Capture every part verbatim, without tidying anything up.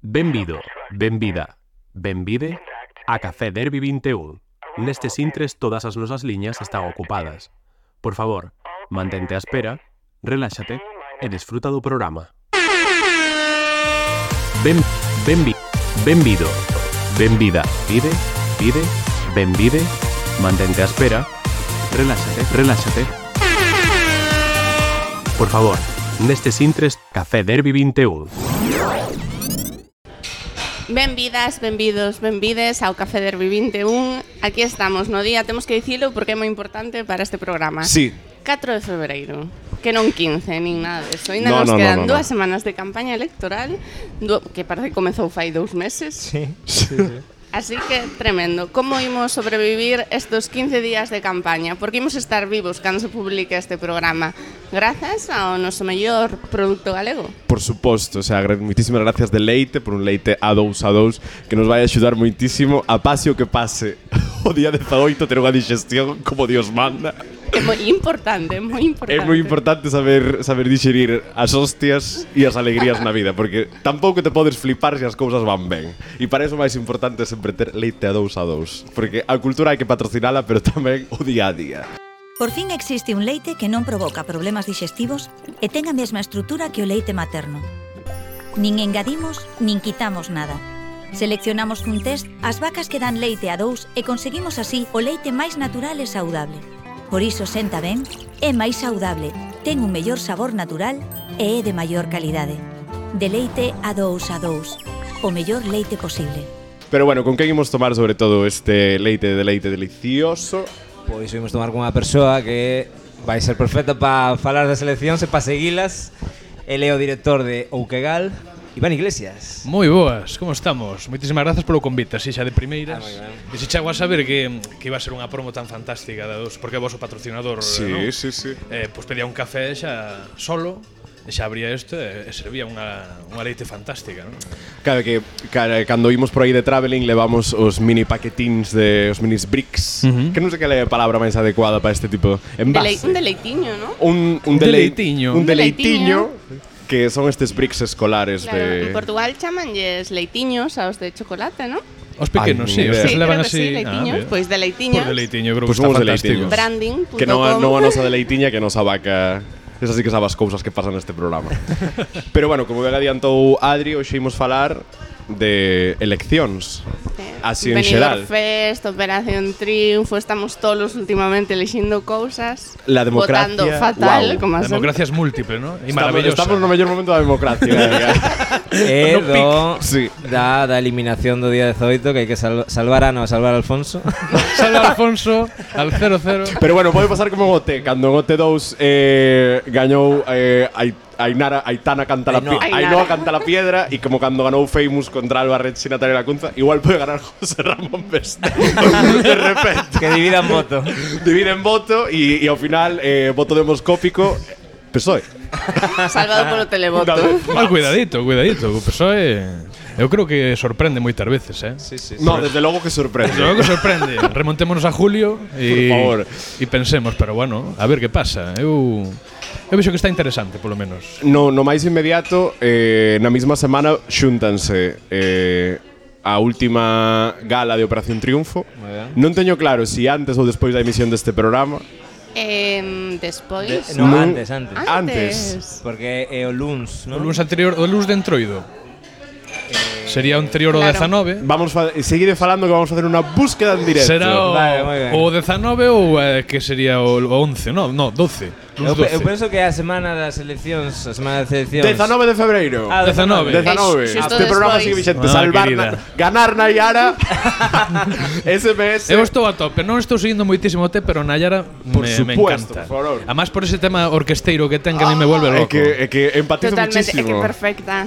Benvido, benvida, benvide a Café Derby vinte e un. Nestes intres todas as nosas liñas están ocupadas. Por favor, mantente á espera, reláxate e desfruta do programa. Ben, benvi, benvido, benvida, pide, pide, benvide, mantente á espera, reláxate, reláxate. Por favor, nestes intres Café Derby vinte e un. Benvidas, benvidos, benvides ao Café Derby vinte e un. Aquí estamos no día, temos que dicilo porque é moi importante para este programa. Sí. catro de febreiro, que non quince, nin nada deso. Ainda No, nos no, quedan no, no, dúas no. semanas de campaña electoral, do, que parece que comezou fai dous meses. Sí, sí, sí. Así que, tremendo. Como imos sobrevivir estos quince días de campaña? Porque imos estar vivos cando se publique este programa. Grazas ao noso mellor produto galego. Por suposto, o sea, moitísimas gracias de Leite por un leite A dous A dous que nos vai axudar moitísimo a pase o que pase o día dezaoito ter unha digestión como Dios manda. É moi importante, é moi importante. É moi importante saber saber digerir as hostias e as alegrías na vida, porque tampouco te podes flipar se as cousas van ben. E para iso máis importante é sempre ter leite A dous A dous, porque a cultura hai que patrocinala, pero tamén o día a día. Por fin existe un leite que non provoca problemas digestivos e ten a mesma estrutura que o leite materno. Nin engadimos, nin quitamos nada. Seleccionamos cun test as vacas que dan leite A dous e conseguimos así o leite máis natural e saudable. Por iso senta ben, é máis saudable, ten un mellor sabor natural e é de maior calidade. De leite A dous A dous, o mellor leite posible. Pero bueno, con quen imos tomar sobre todo este leite de leite delicioso? Pois imos tomar con unha persoa que vai ser perfecta para falar das eleccións e para seguilas. Ele é o director de Ouquegal, Iván Iglesias. Moi boas, como estamos? Moitísimas grazas polo convite, así xa de primeiras. Ah, E se chego a saber que, que iba a ser unha promo tan fantástica da dos, porque é vosso patrocinador, Sí, non? sí, sí. Eh, pois pedía un café xa solo, e xa abría isto e, e servía unha, unha leite fantástica, non? Claro que cara, cando imos por aí de traveling levamos os mini paquetíns de os minis bricks, Uh-huh. que non sei que é a palabra máis adecuada para este tipo de Delei, envase. un deleitiño, non? Un, un, delei- Deleitiño. Un Un deleitiño. deleitiño que son estes bricks escolares Claro, de... en Portugal chamanlles leitiños aos de chocolate, non? Os pequenos, Ai, sí, ni os idea. que Sí, se levan creo que así. sí, leitiños, Ah, pois deleitiños. Pois deleitiño, creo Pois que está somos fantástico. deleitiños. branding punto com. Que non a, non a nosa deleitiña, que nos abaca... Esas sí que sabes cousas que pasan neste programa. Pero bueno, como ben adiantou Adri, hoxe imos falar de eleccións. Así en xeral. Benidorm Fest, Operación Triunfo, estamos tolos últimamente elixindo cousas. La democracia, votando fatal, guau. como A sempre. democracia es múltiple, ¿no? E Estamos, maravillosa. estamos no mellor momento da democracia. É No do, Sí. da, da eliminación do día dezaoito, que hai que sal, salvar a no, salvar a Alfonso. Salve Alfonso al cero cero. Pero bueno, pode pasar como en O T. Cando en O T dous eh, gañou eh, Ai- Ainara, Aitana canta la Ainhoa. piedra, Ainara. Ainhoa canta la piedra, y como cando ganou Famous contra Alba Reche y Natalia Lacunza, igual puede ganar José Ramón Besteiro de repente. Que dividan voto. Dividen voto y, y ao final eh, voto demoscópico P S O E. Salvado polo televoto. Mal cuidadito, cuidadito. O P S O E, eu creo que sorprende moitas veces, eh? Sí, sí, sí. No, desde logo que sorprende. Desde logo que sorprende. Remontémonos a julio e, Por favor. e pensemos, pero bueno, a ver que pasa. Eu eu vexo que está interesante, polo menos. No, no máis inmediato, eh, na mesma semana xúntanse eh, a última gala de Operación Triunfo. Moi ben. Non teño claro se si antes ou despois da emisión deste programa. Eh, despois... De- no, Non- antes, antes. Antes. Porque é o luns, O non? luns anterior, o luns de Entroido. Sería o anterior ao Claro. dezanove. Vamos fa seguide falando que vamos a facer unha búsqueda en directo. Será o, Vale, moi ben. o dezanove ou eh, que sería o, o once, no, no, doce. Eu, Luns pe- eu doce. penso que é a semana das eleccións, a semana das eleccións. dezanove de febreiro. Ah, dezanove. dezanove. Eh, xusto Este programa despois. sigue vixente. Ah, Salvar querida. na, ganar na Iara. S M S. Eu estou a tope, non estou seguindo moitísimo o T, pero Nayara Por me, me supuesto, encanta. por favor. Además por ese tema orquesteiro que ten que a mí me vuelve É loco. que, é que empatizo Totalmente, é que muchísimo. perfecta.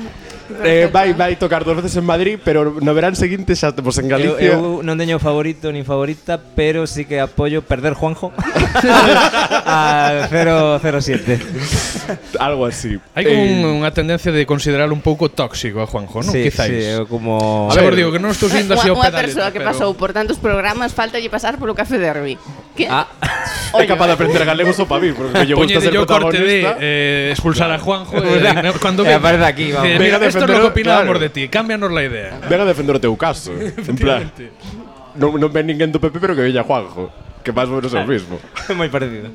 Eh, vai, vai tocar dos veces en Madrid, pero no verán seguinte xa temos en Eu, Galicia. eu non teño favorito nin favorita, pero sí que apoio perder Juanjo al cero cero siete. Algo así. Hai como Eh, un, unha tendencia de considerar un pouco tóxico a Juanjo, non? Sí, Quizáis. sí, eu como... A ver, ver. digo que non estou seguindo así Unha o unha pedalete, persoa que pero... pasou por tantos programas, falta lle pasar polo Café Derby. Que? Ah, é capaz de aprender galego só para mí, porque lle gusta ser Poñede yo corte de protagonista. eh, expulsar a Juanjo e, eh, cando E ve, aparece aquí, vamos. eh, Venga mira, a esto é defender lo o- que opinábamos claro. de ti, cámbianos la idea. Ven a defender o teu caso. En plan, non, non ven ninguén do P P, pero que veña Juanjo. Que máis ou menos é o mismo. Moi parecido.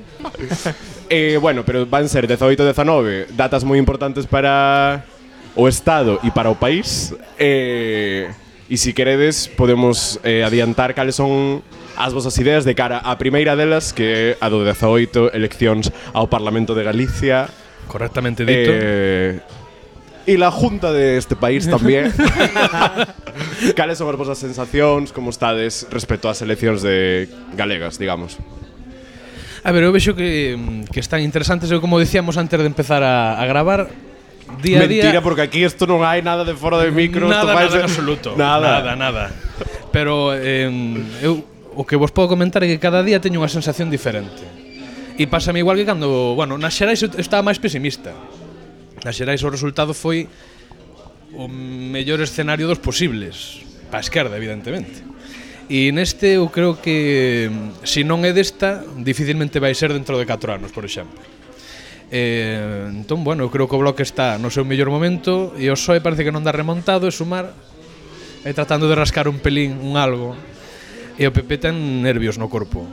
Eh, bueno, pero van ser dezaoito e dezanove, datas moi importantes para o Estado e para o país. Eh, e se queredes, podemos eh, adiantar cales son as vosas ideas de cara á primeira delas, que é a do dezaoito, eleccións ao Parlamento de Galicia. Correctamente dito. Eh, e la Junta de este país tamén. Cales son as vosas sensacións, como estades respecto ás eleccións de galegas, digamos? A ver, eu vexo que, que están interesantes. Eu, como decíamos antes de empezar a, a gravar, día a día... Mentira, porque aquí isto non hai nada de fora de micro. Nada, isto vai nada ser- en absoluto. Nada. Nada, nada. Pero eh, eu o que vos podo comentar é que cada día teño unha sensación diferente. E pásame igual que cando, bueno, nas xerais eu estaba máis pesimista. Nas xerais o resultado foi o mellor escenario dos posibles, para a esquerda, evidentemente. E neste eu creo que se non é desta, dificilmente vai ser dentro de catro anos, por exemplo. Eh, entón, bueno, eu creo que o Bloque está no seu mellor momento e o P S O E parece que non dá remontado e Sumar e tratando de rascar un pelín, un algo. E o P P ten nervios no corpo.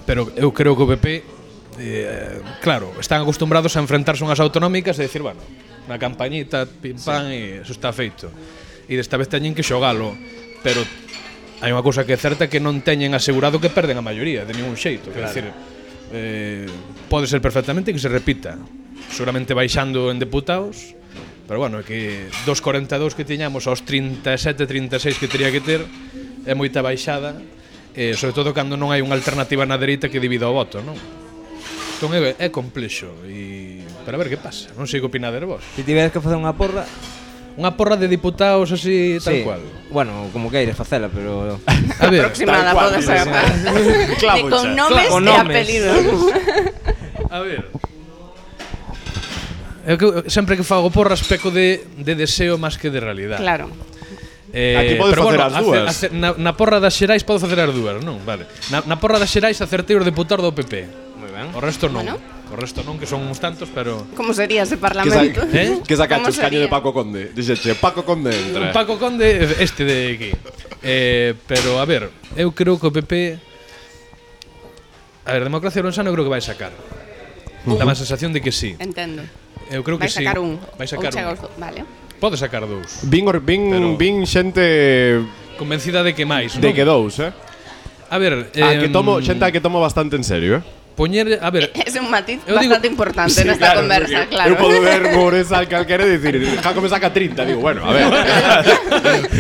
Pero eu creo que o P P eh, claro, están acostumbrados a enfrentarse unhas autonómicas e decir, bueno, na campañita, pim pam, e eso está feito. E desta vez teñen que xogalo, pero hai unha cousa que é certa, que non teñen asegurado que perden a maioría de ningún xeito, claro. Quer decir, eh, pode ser perfectamente que se repita, seguramente baixando en deputados, pero bueno, que dos corenta e dous que tiñamos aos trinta e sete, trinta e seis que teria que ter é moita baixada, eh, sobre todo cando non hai unha alternativa na dereita que divida o voto, non? Entón é, é complexo e para ver que pasa. Non sei que opinades vos. Se tiveres que facer unha porra, Unha porra de diputados así tal sí. cual. Bueno, como queires facela, pero A ver, Aproximada tal cual, pode ser. Clavo E con xa. nomes Con e nomes. apelidos. a ver. Eu que sempre que fago porras peco de, de deseo máis que de realidade. Claro. Eh, Aquí podes pero facer bueno, as dúas. ace- ace- na, na porra das xerais podo facer as dúas, non? Vale. Na, na porra das xerais acertei os deputados do P P. moi ben. O resto non. Bueno. O resto non, que son uns tantos, pero Como sería ese Que, parlamento? sa ¿Eh? que sacaste Como os caño de sería? Paco Conde. Dixeche, Paco Conde entra. Paco Conde, este de aquí. Eh, pero, a ver, eu creo que o P P... A ver, Democracia Orensana eu creo que vai sacar. Dá má sensación de que sí. Entendo. Eu creo Vai que sí. sacar un. Vai sacar Ou chega un. aos do- Vale. Pode sacar dous. Vin, or- vin, Pero- vin xente Convencida de que máis, non? de que dous, eh? A ver, A em, que tomo, xente a que tomo bastante en serio, eh? poñer, a ver, Es un matiz Eu digo- bastante importante Sí, nesta claro, conversa, porque claro. Eu podo ver Mores al calquera e dicir, Jaco me saca trinta, digo, bueno, a ver.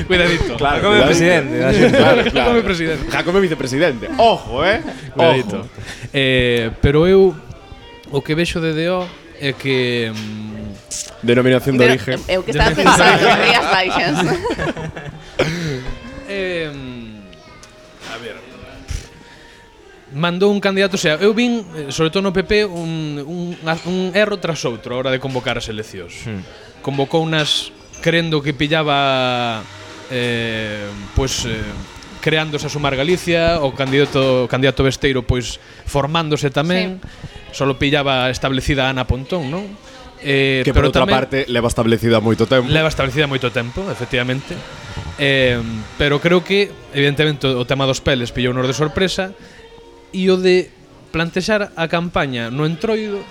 cuidadito. Claro, Como cuidadito. presidente da Xunta. Claro, claro. Como presidente. Jaco me vicepresidente. Ojo, eh? Cuidadito. Ojo. Eh, pero eu o que vexo de D O é que mm, Denominación de Pero, origen. eu que estaba pensando en Rías Baixas. eh, a ver, mandou un candidato, o sea, eu vin, eh, sobre todo no P P, un, un, un erro tras outro a hora de convocar as eleccións. Hmm. Convocou unas crendo que pillaba eh, pois eh, creándose a Sumar Galicia, o candidato o candidato Besteiro pois formándose tamén. Sí. Solo pillaba establecida a Ana Pontón, non? Eh, Que por pero outra tamén parte leva establecida moito tempo. leva establecida moito tempo, efectivamente. Eh, pero creo que evidentemente o tema dos peles pillou nos de sorpresa. E o de plantexar a campaña no entroido,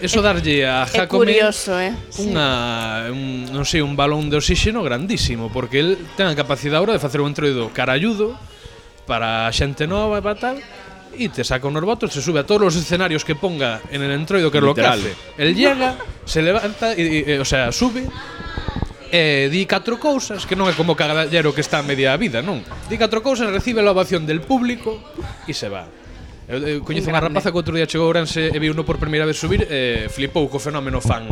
eso darlle a É Jacome curioso, eh? unha, un, non sei, un balón de oxígeno grandísimo, porque el ten a capacidade ahora de facer un entroido caralludo para a xente nova e para tal, e te saca unos votos, se sube a todos os escenarios que ponga en el entroido, que é lo que Literal. hace. El llega, se levanta, e, e, o sea, sube, e di catro cousas, que non é como Caballero que está a media vida, non. Di catro cousas, recibe a ovación del público e se va. Eu, eu coñezo unha rapaza que outro día chegou a Ourense e viu no por primeira vez subir, e flipou co fenómeno fan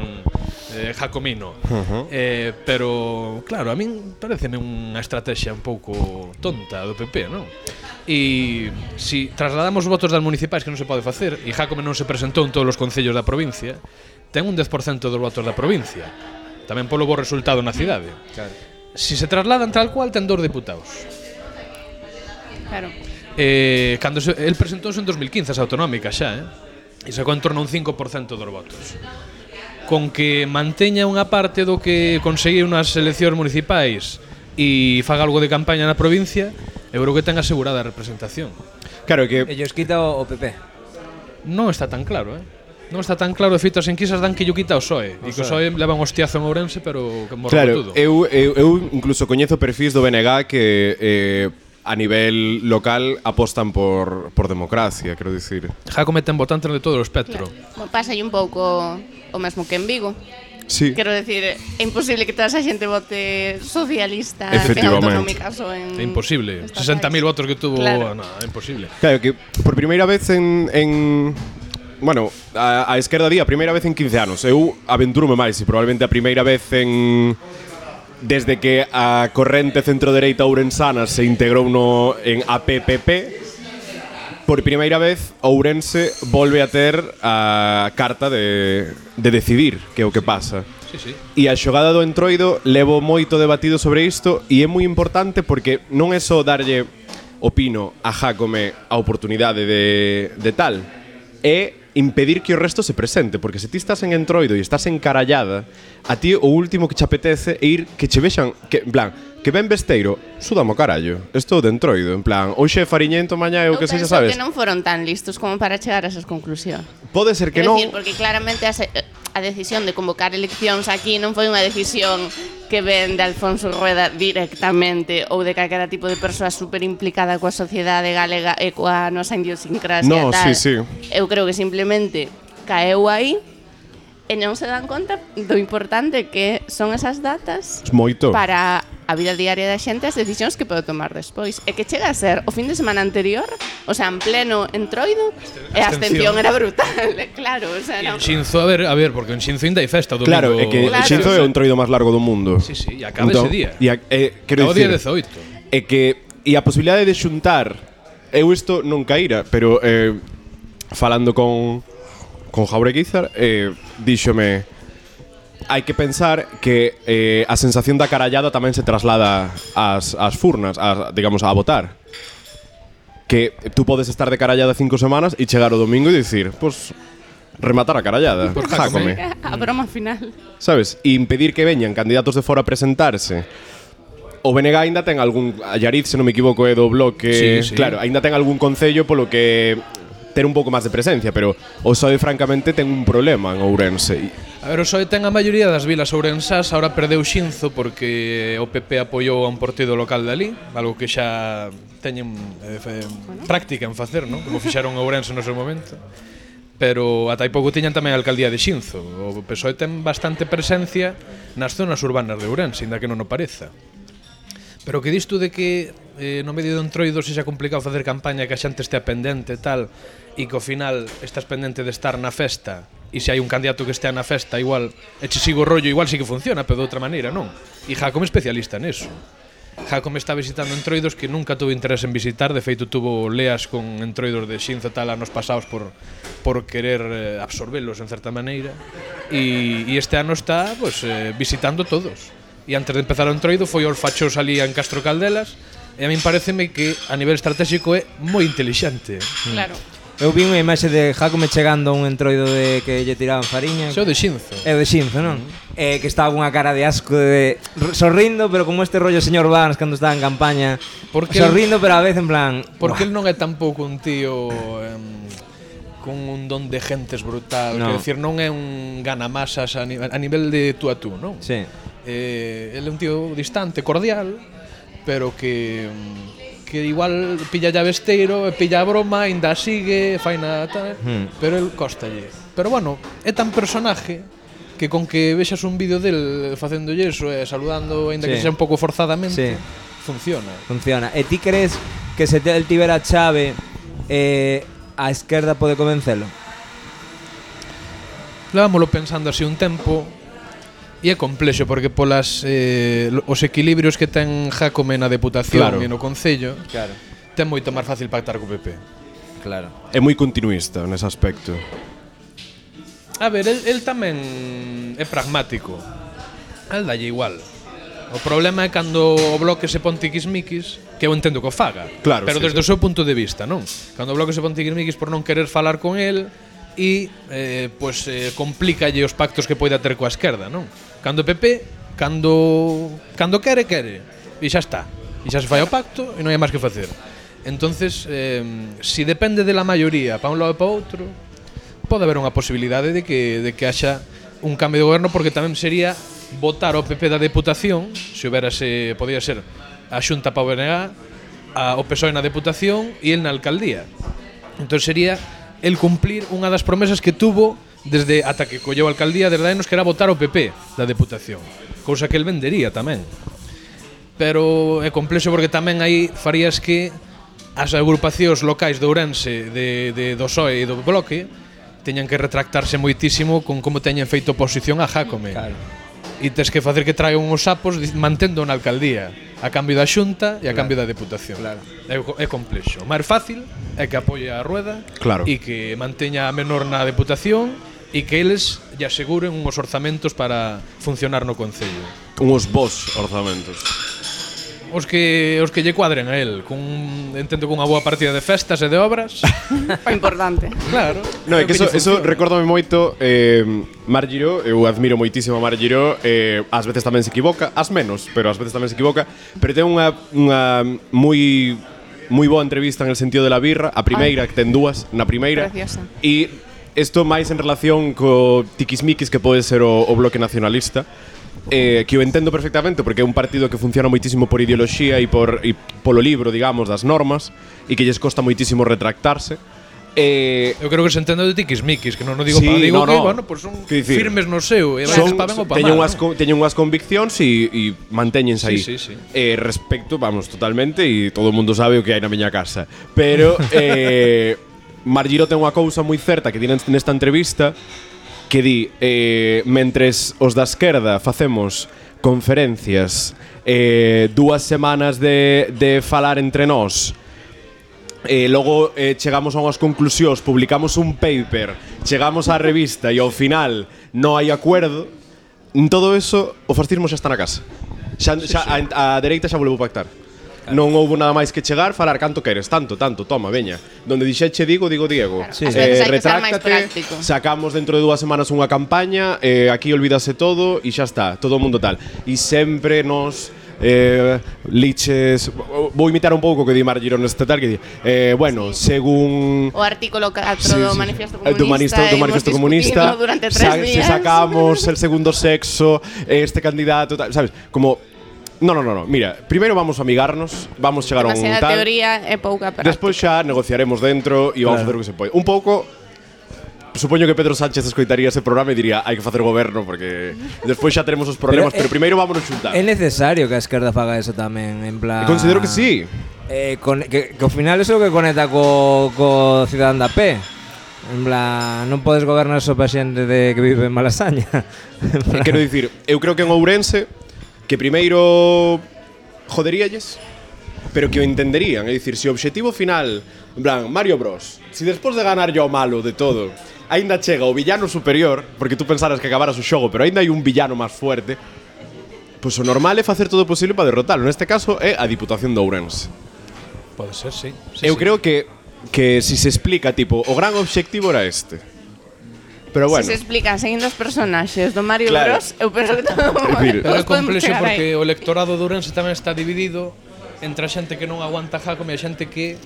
eh, Jacomino. Uh-huh. eh, pero, claro, a min pareceme unha estrategia un pouco tonta do P P, non? E si trasladamos os votos das municipais, que non se pode facer, e Jacome non se presentou en todos os concellos da provincia, ten un dez por cento dos votos da provincia. Tamén polo bo resultado na cidade. Claro. Si se trasladan tal cual, ten dous diputados. Claro. Eh, cando se, el presentouse en dos mil quince as autonómicas xa, eh? E sacou en torno a un cinco por cento dos votos. Con que manteña unha parte do que conseguiu nas eleccións municipais e faga algo de campaña na provincia, eu creo que ten asegurada a representación. Claro que Ellos quita o P P. Non está tan claro, eh? Non está tan claro, de feito as enquisas dan que yo quita o P S O E e que o P S O E leva un hostiazo en Ourense, pero que morre claro, todo. eu, eu, eu incluso coñezo perfis do B N G que eh, a nivel local apostan por, por democracia, quero dicir. Jácome ten votantes de todo o espectro. Claro. Pasa aí un pouco o mesmo que en Vigo. Sí. Quero decir, é imposible que toda esa xente vote socialista en Efectivamente. autonómicas ou en... É imposible. estatais. sesenta mil votos que tuvo, Claro. no, é imposible. Claro, que por primeira vez en... en bueno, a, a esquerda di a primeira vez en quince anos. Eu aventurume máis e probablemente a primeira vez en... Desde que a corrente centro-dereita ourensana se integrou no, en A P P P, por primeira vez Ourense volve a ter a carta de, de decidir que é o que pasa. Sí, sí. E a xogada do Entroido levo moito debatido sobre isto e é moi importante porque non é só darlle, opino, a Jácome a oportunidade de, de tal, é impedir que o resto se presente, porque se ti estás en Entroido e estás encarallada, a ti o último que che apetece é ir que che vexan, que, en plan, que ben Besteiro, súdamo carallo, estou de Entroido, en plan, hoxe é Fariñento, mañá é o que sexa, sabes? Eu penso que non foron tan listos como para chegar a esas conclusións. Pode ser que Quero non. decir, porque claramente a, se, a decisión de convocar eleccións aquí non foi unha decisión que ven de Alfonso Rueda directamente ou de calquera tipo de persoa super implicada coa sociedade galega e coa nosa idiosincrasia No, e tal. sí, sí. Eu creo que simplemente caeu aí e non se dan conta do importante que son esas datas Moito. para a vida diaria da xente, as decisións que pode tomar despois. E que chega a ser o fin de semana anterior, o sea, en pleno Entroido, e a abstención era brutal, claro, o sea, E non. en Xinzo, a ver, a ver, porque en Xinzo ainda hai festa o domingo. Claro, é que Claro. Xinzo é o Entroido máis largo do mundo. Sí, sí, e acaba ese día. E a, eh, quero Acaba o día dicir, dezaoito. é que e a posibilidade de xuntar, eu isto non caíra, pero eh, falando con con Jaureguizar, eh, díxome hai que pensar que eh, a sensación da carallada tamén se traslada ás, ás furnas, ás, digamos, a votar. Que tú podes estar de carallada cinco semanas e chegar o domingo e dicir, pues, rematar a carallada. Por Jácome. A broma final. Sabes? E impedir que veñan candidatos de fora a presentarse. O B N G aínda ten algún... A Llariz, se non me equivoco, é do bloque... Sí, sí. Claro, aínda ten algún concello polo que ter un pouco máis de presencia, pero o P S O E francamente ten un problema en Ourense. A ver, o P S O E ten a maioría das vilas ourensás, ahora perdeu Xinzo porque o P P apoiou a un partido local de ali, algo que xa teñen eh, fe, práctica en facer, non? Como fixaron a Ourense no seu momento. Pero ata hai pouco tiñan tamén a alcaldía de Xinzo. O P S O E ten bastante presencia nas zonas urbanas de Ourense, ainda que non o pareza. Pero que dis tú de que eh, no medio do Entroido se xa complicado facer campaña, que a xente estea pendente e tal, e que ao final estás pendente de estar na festa, e se hai un candidato que estea na festa, igual, e che sigo o rollo, igual sí que funciona, pero de outra maneira non. E Jácome é especialista neso. Jácome está visitando Entroidos que nunca tuvo interés en visitar, de feito tuvo leas con Entroidos de Xinzo tal anos pasados por, por querer eh, absorbelos en certa maneira, e, e este ano está pues, eh, visitando todos. E antes de empezar o Entroido foi aos fachos ali en Castro Caldelas, e a min pareceme que a nivel estratégico é moi intelixente. Claro. Eu vi unha imaxe de Jácome chegando a un Entroido de que lle tiraban fariña. Xo de Xinzo. É o de Xinzo, non? Eh, que estaba unha cara de asco de sorrindo, pero como este rollo señor Vans cando estaba en campaña, Porque sorrindo, pero a vez en plan, Porque el non é tampouco un tío em, con un don de gentes brutal, No. quero dicir, non é un ganamasas a, ni a nivel de tú a tú, non? sí. Eh, ele é un tío distante, cordial, pero que que igual pilla ya besteiro, e pilla a broma, ainda sigue, faina tal, Hmm. pero el costalle. Pero bueno, é tan personaje que con que vexas un vídeo del facéndolle eso e saludando, ainda Sí. que sea un pouco forzadamente, Sí. funciona. Funciona. E ti crees que se el tivera chave eh, a esquerda pode convencelo? Levámoslo pensando así un tempo e é complexo porque polas eh, os equilibrios que ten Jácome na Deputación Claro. e no Concello Claro. ten moito máis fácil pactar co P P. Claro. É moi continuista nese aspecto. A ver, el, el tamén é pragmático. A el dalle igual. O problema é cando o Bloque se pon tiquismiquis, que eu entendo que o faga, Claro, pero sí, desde sí. o seu punto de vista, non? Cando o Bloque se pon tiquismiquis por non querer falar con el e eh, pues, eh, complícalle os pactos que poida ter coa esquerda, non? Cando o P P, cando, cando quere, quere, e xa está. E xa se fai o pacto e non hai máis que facer. Entonces, eh, si depende de la maioría para un lado e para outro, pode haber unha posibilidade de que, de que haxa un cambio de goberno, porque tamén sería votar o P P da Deputación, se houbérase, podía ser a Xunta para o B N G, a, o P S O E na Deputación e el na Alcaldía. Entón sería el cumplir unha das promesas que tuvo desde ata que colleu a Alcaldía desde anos, que era votar o P P da Deputación, cousa que el vendería tamén. Pero é complexo porque tamén aí farías que as agrupacións locais de Ourense de, de, do P S O E e do Bloque teñan que retractarse moitísimo con como teñen feito oposición a Jácome. Claro. E tes que facer que traigan uns sapos mantendo na alcaldía a cambio da Xunta e a Claro. cambio da Deputación. Claro. É, é complexo. O máis fácil é que apoie a Rueda Claro. e que manteña a menor na Deputación e que eles lle aseguren uns orzamentos para funcionar no Concello. Unhos bons orzamentos. Os que os que lle cuadren a él, con entendo con unha boa partida de festas e de obras. O importante. Claro. No, é o que eso, lle eso funciona. recórdame moito eh, Mar Giró, eu admiro moitísimo a Mar Giró, eh, ás veces tamén se equivoca, ás menos, pero ás veces tamén se equivoca, pero ten unha, unha moi moi boa entrevista en el sentido de la birra, a primeira, que ten dúas, na primeira. Preciosa. E isto máis en relación co tiquismiquis que pode ser o, o Bloque Nacionalista, eh, que eu entendo perfectamente porque é un partido que funciona moitísimo por ideoloxía e por e polo libro, digamos, das normas, e que lles costa moitísimo retractarse. Eh, Eu creo que se entende de tiquismiquis, que non o digo Sí, para digo no, que, no. bueno, pues son Que dicir, firmes no seu, e son, van pa ben ou pa teñen mal. unhas, ¿no? co- teñen unhas conviccións e, e mantéñense aí. Sí, sí, sí. Eh, respecto, vamos, totalmente, e todo o mundo sabe o que hai na miña casa. Pero eh, Mar Giró ten unha cousa moi certa que di nesta entrevista, que di, eh, mentres os da esquerda facemos conferencias, eh, dúas semanas de, de falar entre nós, e logo eh, chegamos a unhas conclusións, publicamos un paper, chegamos á revista e ao final non hai acuerdo, en todo eso o fascismo xa está na casa. Xa, xa, a, a dereita xa volveu pactar. Non houbo nada máis que chegar, falar canto queres, tanto, tanto, toma, veña. Donde dixeche digo, digo Diego. Claro, sí. Ás veces hai que ser máis práctico. Sacamos dentro de dúas semanas unha campaña, eh, aquí olvídase todo e xa está, todo o mundo tal. E sempre nos eh, liches, vou imitar un pouco o que di Mar Girón neste tal, que di, eh, bueno, sí. según O artículo catro Sí, do sí. Manifiesto El Comunista, do manifiesto, do hemos manifiesto discutido comunista, durante tres sa- días. se sacamos el segundo sexo, este candidato, tal, sabes, como no, no, no, no, mira, primeiro vamos a amigarnos, vamos chegar a un Demasiada tal, teoría e pouca práctica. despois xa negociaremos dentro e vamos a facer o que se pode. Un pouco supoño que Pedro Sánchez escoitaría ese programa e diría hai que facer goberno porque despois xa teremos os problemas, pero, Pero, eh, pero primeiro vámonos xuntar. É necesario que a esquerda faga eso tamén, en plan... E considero que sí. Eh, con, que, que ao final eso é o que conecta co, co cidadán da P. En plan, non podes gobernar só pa xente de que vive en Malasaña. E quero dicir, eu creo que en Ourense que primeiro joderíalles, pero que o entenderían, é dicir, se o obxectivo final, en plan, Mario Bros, se despois de ganar yo o malo de todo, aínda chega o villano superior, porque tú pensaras que acabaras o xogo, pero aínda hai un villano máis fuerte, pois o normal é facer todo o posible para derrotalo. Neste caso é a Diputación de Ourense. Pode ser, sí. sí Eu sí. creo que que si se explica, tipo, o gran obxectivo era este. Pero bueno. Se se explican seguindo os personaxes do Mario Claro. Bros, eu penso que todo decir, Pero é todos podemos complexo chegar porque aí. o electorado de Ourense tamén está dividido entre a xente que non aguanta Jácome e a xente que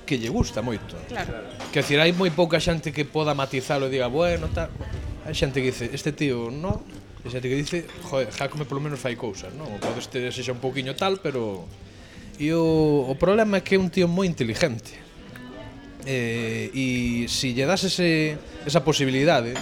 que lle gusta moito. Claro. Que decir, hai moi pouca xente que poda matizalo e diga, bueno, tal. Hai xente que dice, este tío no, e xente que dice, joder, Jácome polo menos fai cousas, non? O pode este sexa un pouquiño tal, pero e o, o problema é que é un tío moi inteligente. Eh, e si lle das ese, esa posibilidade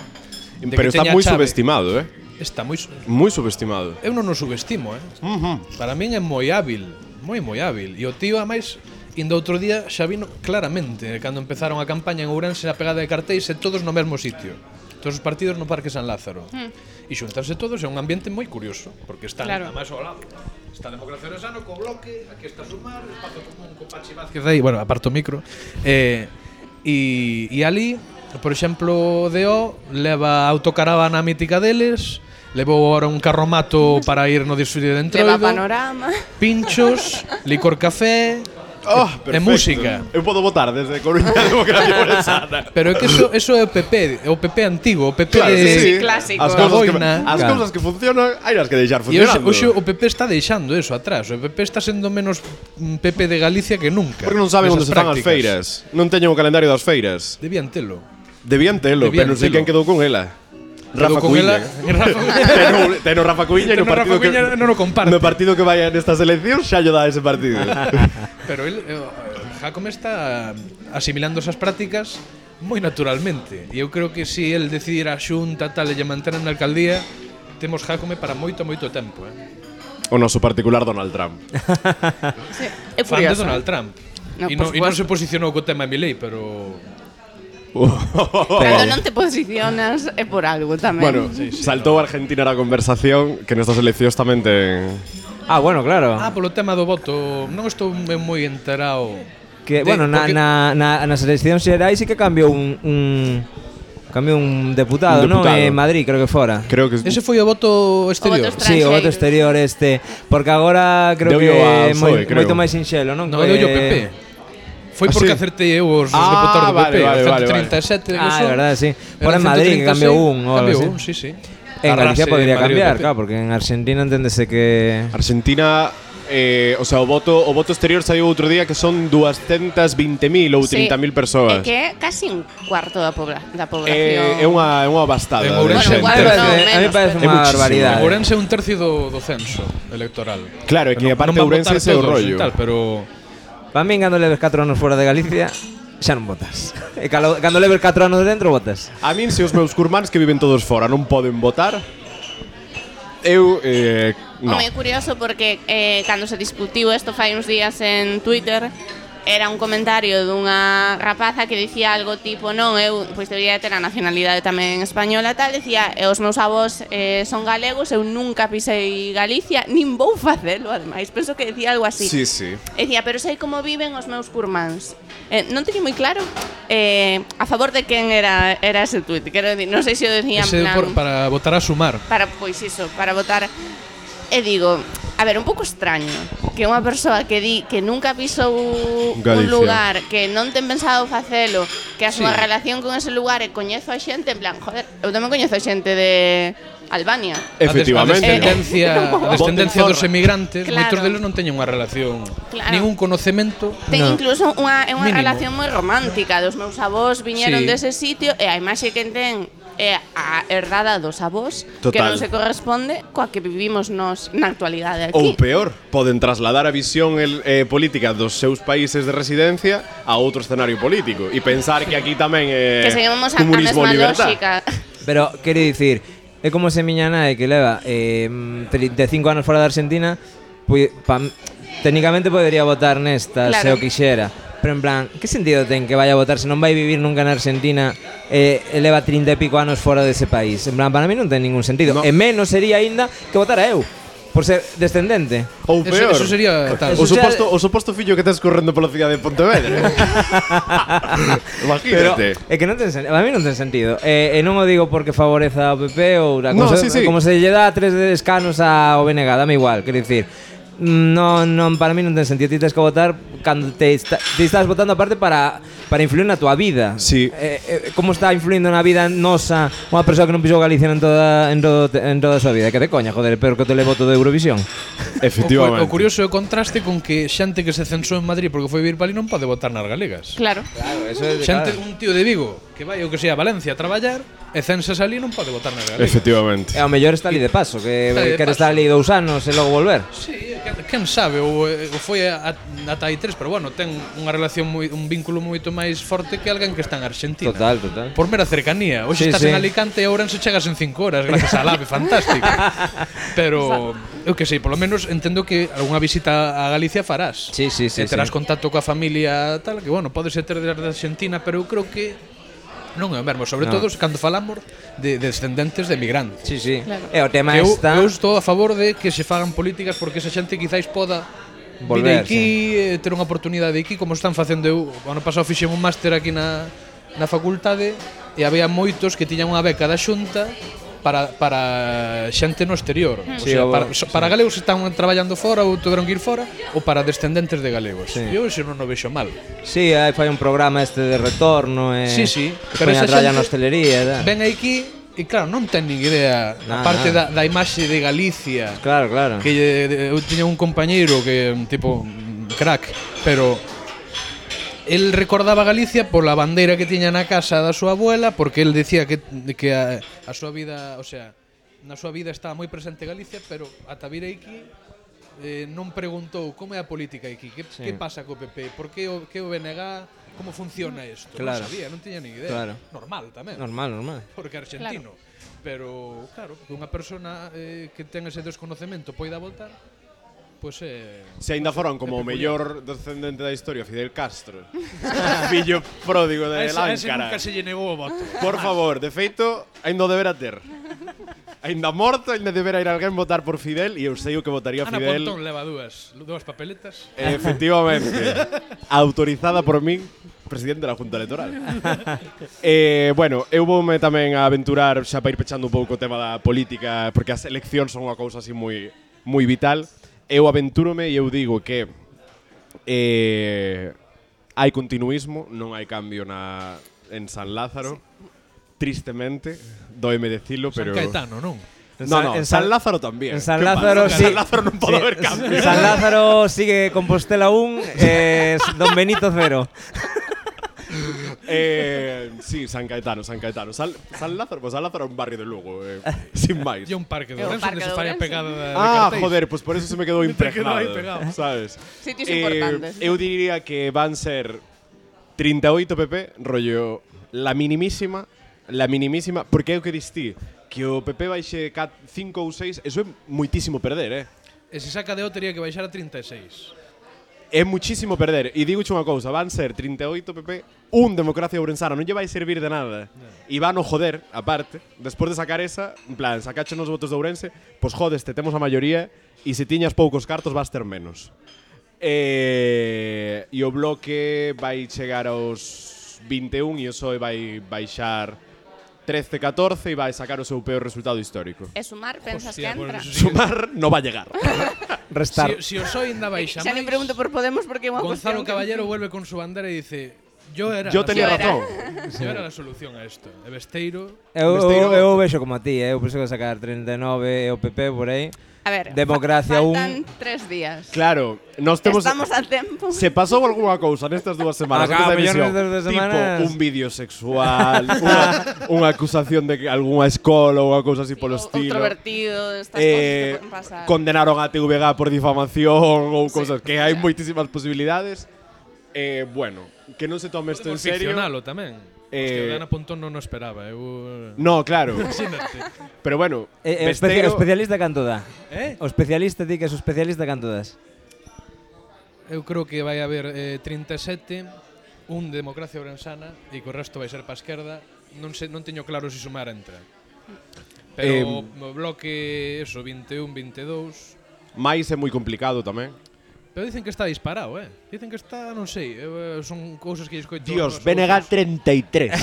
de Pero que está teña moi chave, subestimado, eh? Está moi su- Moi subestimado. Eu non o subestimo, eh? Uh-huh. Para min é moi hábil, moi moi hábil. E o tío, a máis, indo outro día xa vino claramente cando empezaron a campaña en Ourense a pegada de cartéis e todos no mesmo sitio. Todos os partidos no Parque San Lázaro. Mm. E xuntarse todos é un ambiente moi curioso, porque están Claro. a máis ao lado. Está a Democracia Ourensano co Bloque, aquí está Sumar, espazo común co Pachi Vázquez aí, bueno, aparto o micro. Eh, e, e ali, por exemplo, D O leva a autocaravana mítica deles, Levou ahora un carromato para ir no desfile de Leva Entroido. panorama. Pinchos, licor café Oh, e perfecto. música. Eu podo votar desde Coruña a Democracia Ourensana. Pero é que eso, eso é o P P, é o P P antigo, o P P Claro, de... sí, sí. clásico. As cousas que, Boina. as Claro. cousas que funcionan, hai as que deixar E hoxe, funcionando. hoxe o P P está deixando eso atrás. O P P está sendo menos mm, P P de Galicia que nunca. Porque non saben onde nesas se fan as prácticas. feiras. Non teñen o calendario das feiras. Debían telo. Debían telo, Debían pero non sei telo. quen quedou con ela. Rafa Quedou con Cuíña. ela- Rafa Teno, teno Rafa Cuíña e no Teno partido Rafa Cuíña que non o comparte. No partido que vaya nestas eleccións xa lle dá ese partido. Pero el, eh, Jacome está asimilando esas prácticas moi naturalmente. E eu creo que se si el decidir a xunta tal e lle mantener na alcaldía, temos Jacome para moito, moito tempo, eh. O noso particular Donald Trump. Sí, é Fan de curioso. Donald Trump. No, e, por no, e non supuesto. se posicionou co tema Milei, pero Cando non te posicionas é por algo tamén. Bueno, saltou Argentina na conversación que nestas eleccións tamén ten... Ah, bueno, claro. Ah, polo tema do voto, non estou moi enterado. Que, de- bueno, na, porque- na, na, nas eleccións xerais sí que cambiou un, un cambiou un deputado, Un non? deputado. En Madrid, creo que fora. Creo que Ese foi o voto exterior. voto Sí, o voto exterior este, porque agora creo Deullo que ao é moi, P S O E, creo. moito máis sinxelo, non? No, Que- deu o P P. Foi Ah, porque sí? acertei eu os, os Ah, deputados do P P, vale, vale, a vale, ciento trinta e sete. Ah, eso, é verdade, sí. era Por en Madrid que ciento trinta e seis, cambiou un ou algo cambiou así. un, sí, sí. En Galicia Arrase podría Madrid cambiar, do P P. claro, porque en Argentina enténdese que Argentina, eh, o sea, o voto o voto exterior saiu outro día que son doscientos veinte mil ou trinta mil É persoas. que é casi un cuarto da, pobla, da población. Eh, é unha é unha bastada. En de Ourense, xente. Bueno, a mí igual parece, no, a mí menos, parece pero- unha É muchísimo. barbaridade. Ourense é un tercio do, do censo electoral. Claro, é que Non- aparte non van Ourense votar ese é o todos rollo. e Tal, pero Para min, cando leves catro anos fora de Galicia, xa non votas. E cando, cando leves catro anos dentro, votas. A min, se os meus curmáns que viven todos fora non poden votar, eu eh, no. Home, é curioso porque eh, cando se discutiu isto fai uns días en Twitter, era un comentario dunha rapaza que dicía algo tipo non, eu pois debería ter a nacionalidade tamén española tal, decía, e os meus avós eh, son galegos, eu nunca pisei Galicia, nin vou facelo, ademais, penso que decía algo así. Sí, sí. E dicía, pero sei como viven os meus curmáns. Eh, non teño moi claro eh, a favor de quen era era ese tuit, quero dicir, non sei se o decía en ese plan por, para votar a sumar. para pois iso, para votar. E digo, a ver, un pouco extraño que unha persoa que di que nunca pisou un Galicia. lugar, que non ten pensado facelo, que a súa Sí. relación con ese lugar e coñezo a xente, en plan, joder, eu tamén coñezo a xente de Albania. Efectivamente. A descendencia, a descendencia Voten dos zorra. emigrantes, Claro. moitos deles non teñen unha relación, Claro. ningún conocemento. Ten No. incluso unha, é unha Mínimo. relación moi romántica. Dos meus avós viñeron Sí. dese sitio e a imaxe que ten é a herdada dos avós que Total. non se corresponde coa que vivimos nos na actualidade Ou aquí. peor, poden trasladar a visión el, eh, política dos seus países de residencia a outro escenario político e pensar que aquí tamén é Que seguimos a, a comunismo mesma e libertad. lógica. Pero, quero dicir, é como se miña nai que leva eh, trinta e cinco anos fora da Argentina, pues, pa, técnicamente podería votar nesta, Claro. se o quixera. Pero en plan, que sentido ten que vaya a votar se non vai vivir nunca na Argentina e, e leva trinta e pico anos fora dese país? En plan, para mí non ten ningún sentido. No. E menos sería aínda que votara eu, por ser descendente. Ou Eso, peor. eso sería tal. O Eso xa- suposto, o suposto fillo que tes correndo pola cidade de Pontevedra. Pero Imagínate. é que non ten sentido, a mí non ten sentido. E, e non o digo porque favoreza ao P P ou a No, como, sí, se, sí. como se lle dá tres de escanos ao B N G, dame igual, quero dicir. Non, non, para mí non ten sentido. Ti tens que votar cando te, está, te estás votando aparte para, para influir na tua vida. Sí. Eh, eh, como está influindo na vida nosa unha persoa que non pisou Galicia en toda, en, todo, en toda a súa vida? Que te coña, joder, pero que te le voto de Eurovisión. Efectivamente. O, o curioso é o contraste con que xente que se censou en Madrid porque foi vivir para ali non pode votar nas galegas. Claro. Claro, eso é Xente, un tío de Vigo que vai o que sea a Valencia a traballar e censas ali non pode votar nas galegas. Efectivamente. E ao mellor está ali de paso, que Está ali de quere paso. estar ali dous anos e logo volver. Sí, quen, quen sabe, ou, ou foi a, a, ata aí tres, pero bueno, ten unha relación moi, un vínculo moito máis forte que alguén que está en Argentina. Total, total. Por mera cercanía. Hoxe Sí, estás sí. en Alicante e Ourense chegas en cinco horas gracias á AVE, fantástico. Pero eu que sei, polo menos entendo que algunha visita a Galicia farás. Sí, sí, sí, E terás sí. contacto coa familia tal, que bueno, podes ter desde Argentina, pero eu creo que non é o mesmo, sobre No. todo cando falamos de, de descendentes de migrantes. Sí, sí. Claro. E o tema Que eu, está eu estou a favor de que se fagan políticas porque esa xente quizáis poda Volver, vir aquí, eh, ter unha oportunidade aquí, como están facendo eu. O ano pasado fixen un máster aquí na, na facultade e había moitos que tiñan unha beca da Xunta para, para xente no exterior. O Sí, sea, o- para, so- para galegos que están traballando fora ou tiveron que ir fora, ou para descendentes de galegos. Sí. Eu iso non o vexo mal. Sí, hai fai un programa este de retorno e Sí, sí, pero pero esa esa tralla xente na hostelería, da. Ven aquí e claro, non ten nin idea, Nah, aparte nah. da, da imaxe de Galicia, Claro, claro. que lle- de- eu tiña un compañeiro que un tipo mm, crack, pero el recordaba Galicia pola bandeira que tiña na casa da súa abuela, porque el decía que, que a, a súa vida, o sea, na súa vida estaba moi presente Galicia, pero ata vir aquí eh, non preguntou como é a política aquí, que, Sí. que pasa co P P, por que o, que o B N G, como funciona isto, Claro. non sabía, non tiña ni idea. Claro. Normal tamén. Normal, normal. Porque é argentino. Pero, claro, que unha persona eh, que ten ese desconocemento poida voltar, pois é... Se ainda foron como o é peculiar. mellor descendente da historia, Fidel Castro. Fillo pródigo A de ese, a ese Láncara. nunca se lle negou o voto. Por favor, de feito, ainda o debera ter. Ainda morto, ainda debera ir alguén votar por Fidel e eu sei o que votaría Ana Fidel. Pontón leva dúas, dúas papeletas. Efectivamente. Autorizada por min, presidente da Junta Electoral. eh, bueno, eu voume tamén a aventurar xa para ir pechando un pouco o tema da política, porque as eleccións son unha cousa así moi moi vital. Eu aventúrome e eu digo que eh, hai continuismo, non hai cambio na en San Lázaro. Tristemente, doime decilo, San pero Caetano, non? No, no, En San San- Lázaro tamén. En San ¿Qué Lázaro pasa? sí. En San Lázaro non pode Sí, haber cambio. San Lázaro sigue Compostela un, eh, Don Benito cero. Eh, sí, San Caetano, San Caetano. San, San Lázaro, pues San Lázaro é un barrio de Lugo, eh, sin máis. E un parque de É o Ourense parque onde se de fai a Ourense. pegada de, de Ah, cartéis. joder, pues por eso se me quedou Te quedou impregnado, aí pegado. sabes? Sitios importantes. Eu diría que van ser treinta e oito P P, rollo la minimísima, la minimísima, porque é o que distí, que o P P baixe cinco ou seis, eso é muitísimo perder, eh? E se saca de O teria que baixar a trinta e seis. É muchísimo perder. E digo unha cousa, van ser trinta e oito P P, un Democracia Ourensana, non lle vai servir de nada. E van o joder, aparte, despois de sacar esa, en plan, sacache nos votos de Ourense, pois jodeste, temos a maioría, e se tiñas poucos cartos vas ter menos. E, e o bloque vai chegar aos vinte e un e o P S O E vai baixar trece catorce e vai sacar o seu peor resultado histórico. E sumar, pensas Hostia, que entra? pues eso sí que- Sumar no va a llegar. Restar. Si, si o PSOE ainda baixa Xa máis, nin pregunto por Podemos porque é unha Gonzalo cuestión que- Caballero vuelve con su bandera e dice yo era Yo la tenía Yo era. razón. Yo era la solución a esto. E Besteiro, Eu, Besteiro- eu, eu vexo como a ti, eh. Eu penso que sacar treinta e nove e o P P por aí. A ver, Democracia fa- un. faltan tres días. Claro, nós temos... Estamos a tempo. Se pasou algunha cousa nestas dúas semanas Acá, antes da mellor emisión, nestas dúas semanas. tipo un vídeo sexual, unha, unha acusación de que algunha escola ou unha cousa así polo Sí, estilo. Outro vertido, estas Eh, cosas que poden pasar. condenaron a T V G por difamación ou cousas que hai moitísimas posibilidades. Eh, bueno, que non se tome isto en podemos serio. ficcionalo tamén. Eh, Hostia, o de Ana Pontón non o esperaba. Eu... No, claro. Imagínate. Pero bueno, E, e especia- Besteiro, o especialista canto dá? Eh? O especialista di que é o especialista canto das? Eu creo que vai haber eh, trinta e sete, un de Democracia Ourensana e co resto vai ser pa esquerda. Non sei, non teño claro se sumar entra. Pero Eh, o bloque, eso, vinte e un, vinte e dous. máis é moi complicado tamén. Pero dicen que está disparado, eh? Dicen que está, non sei, eu, eh, son cousas que escoito. Dios, nos B N G outros. treinta e tres.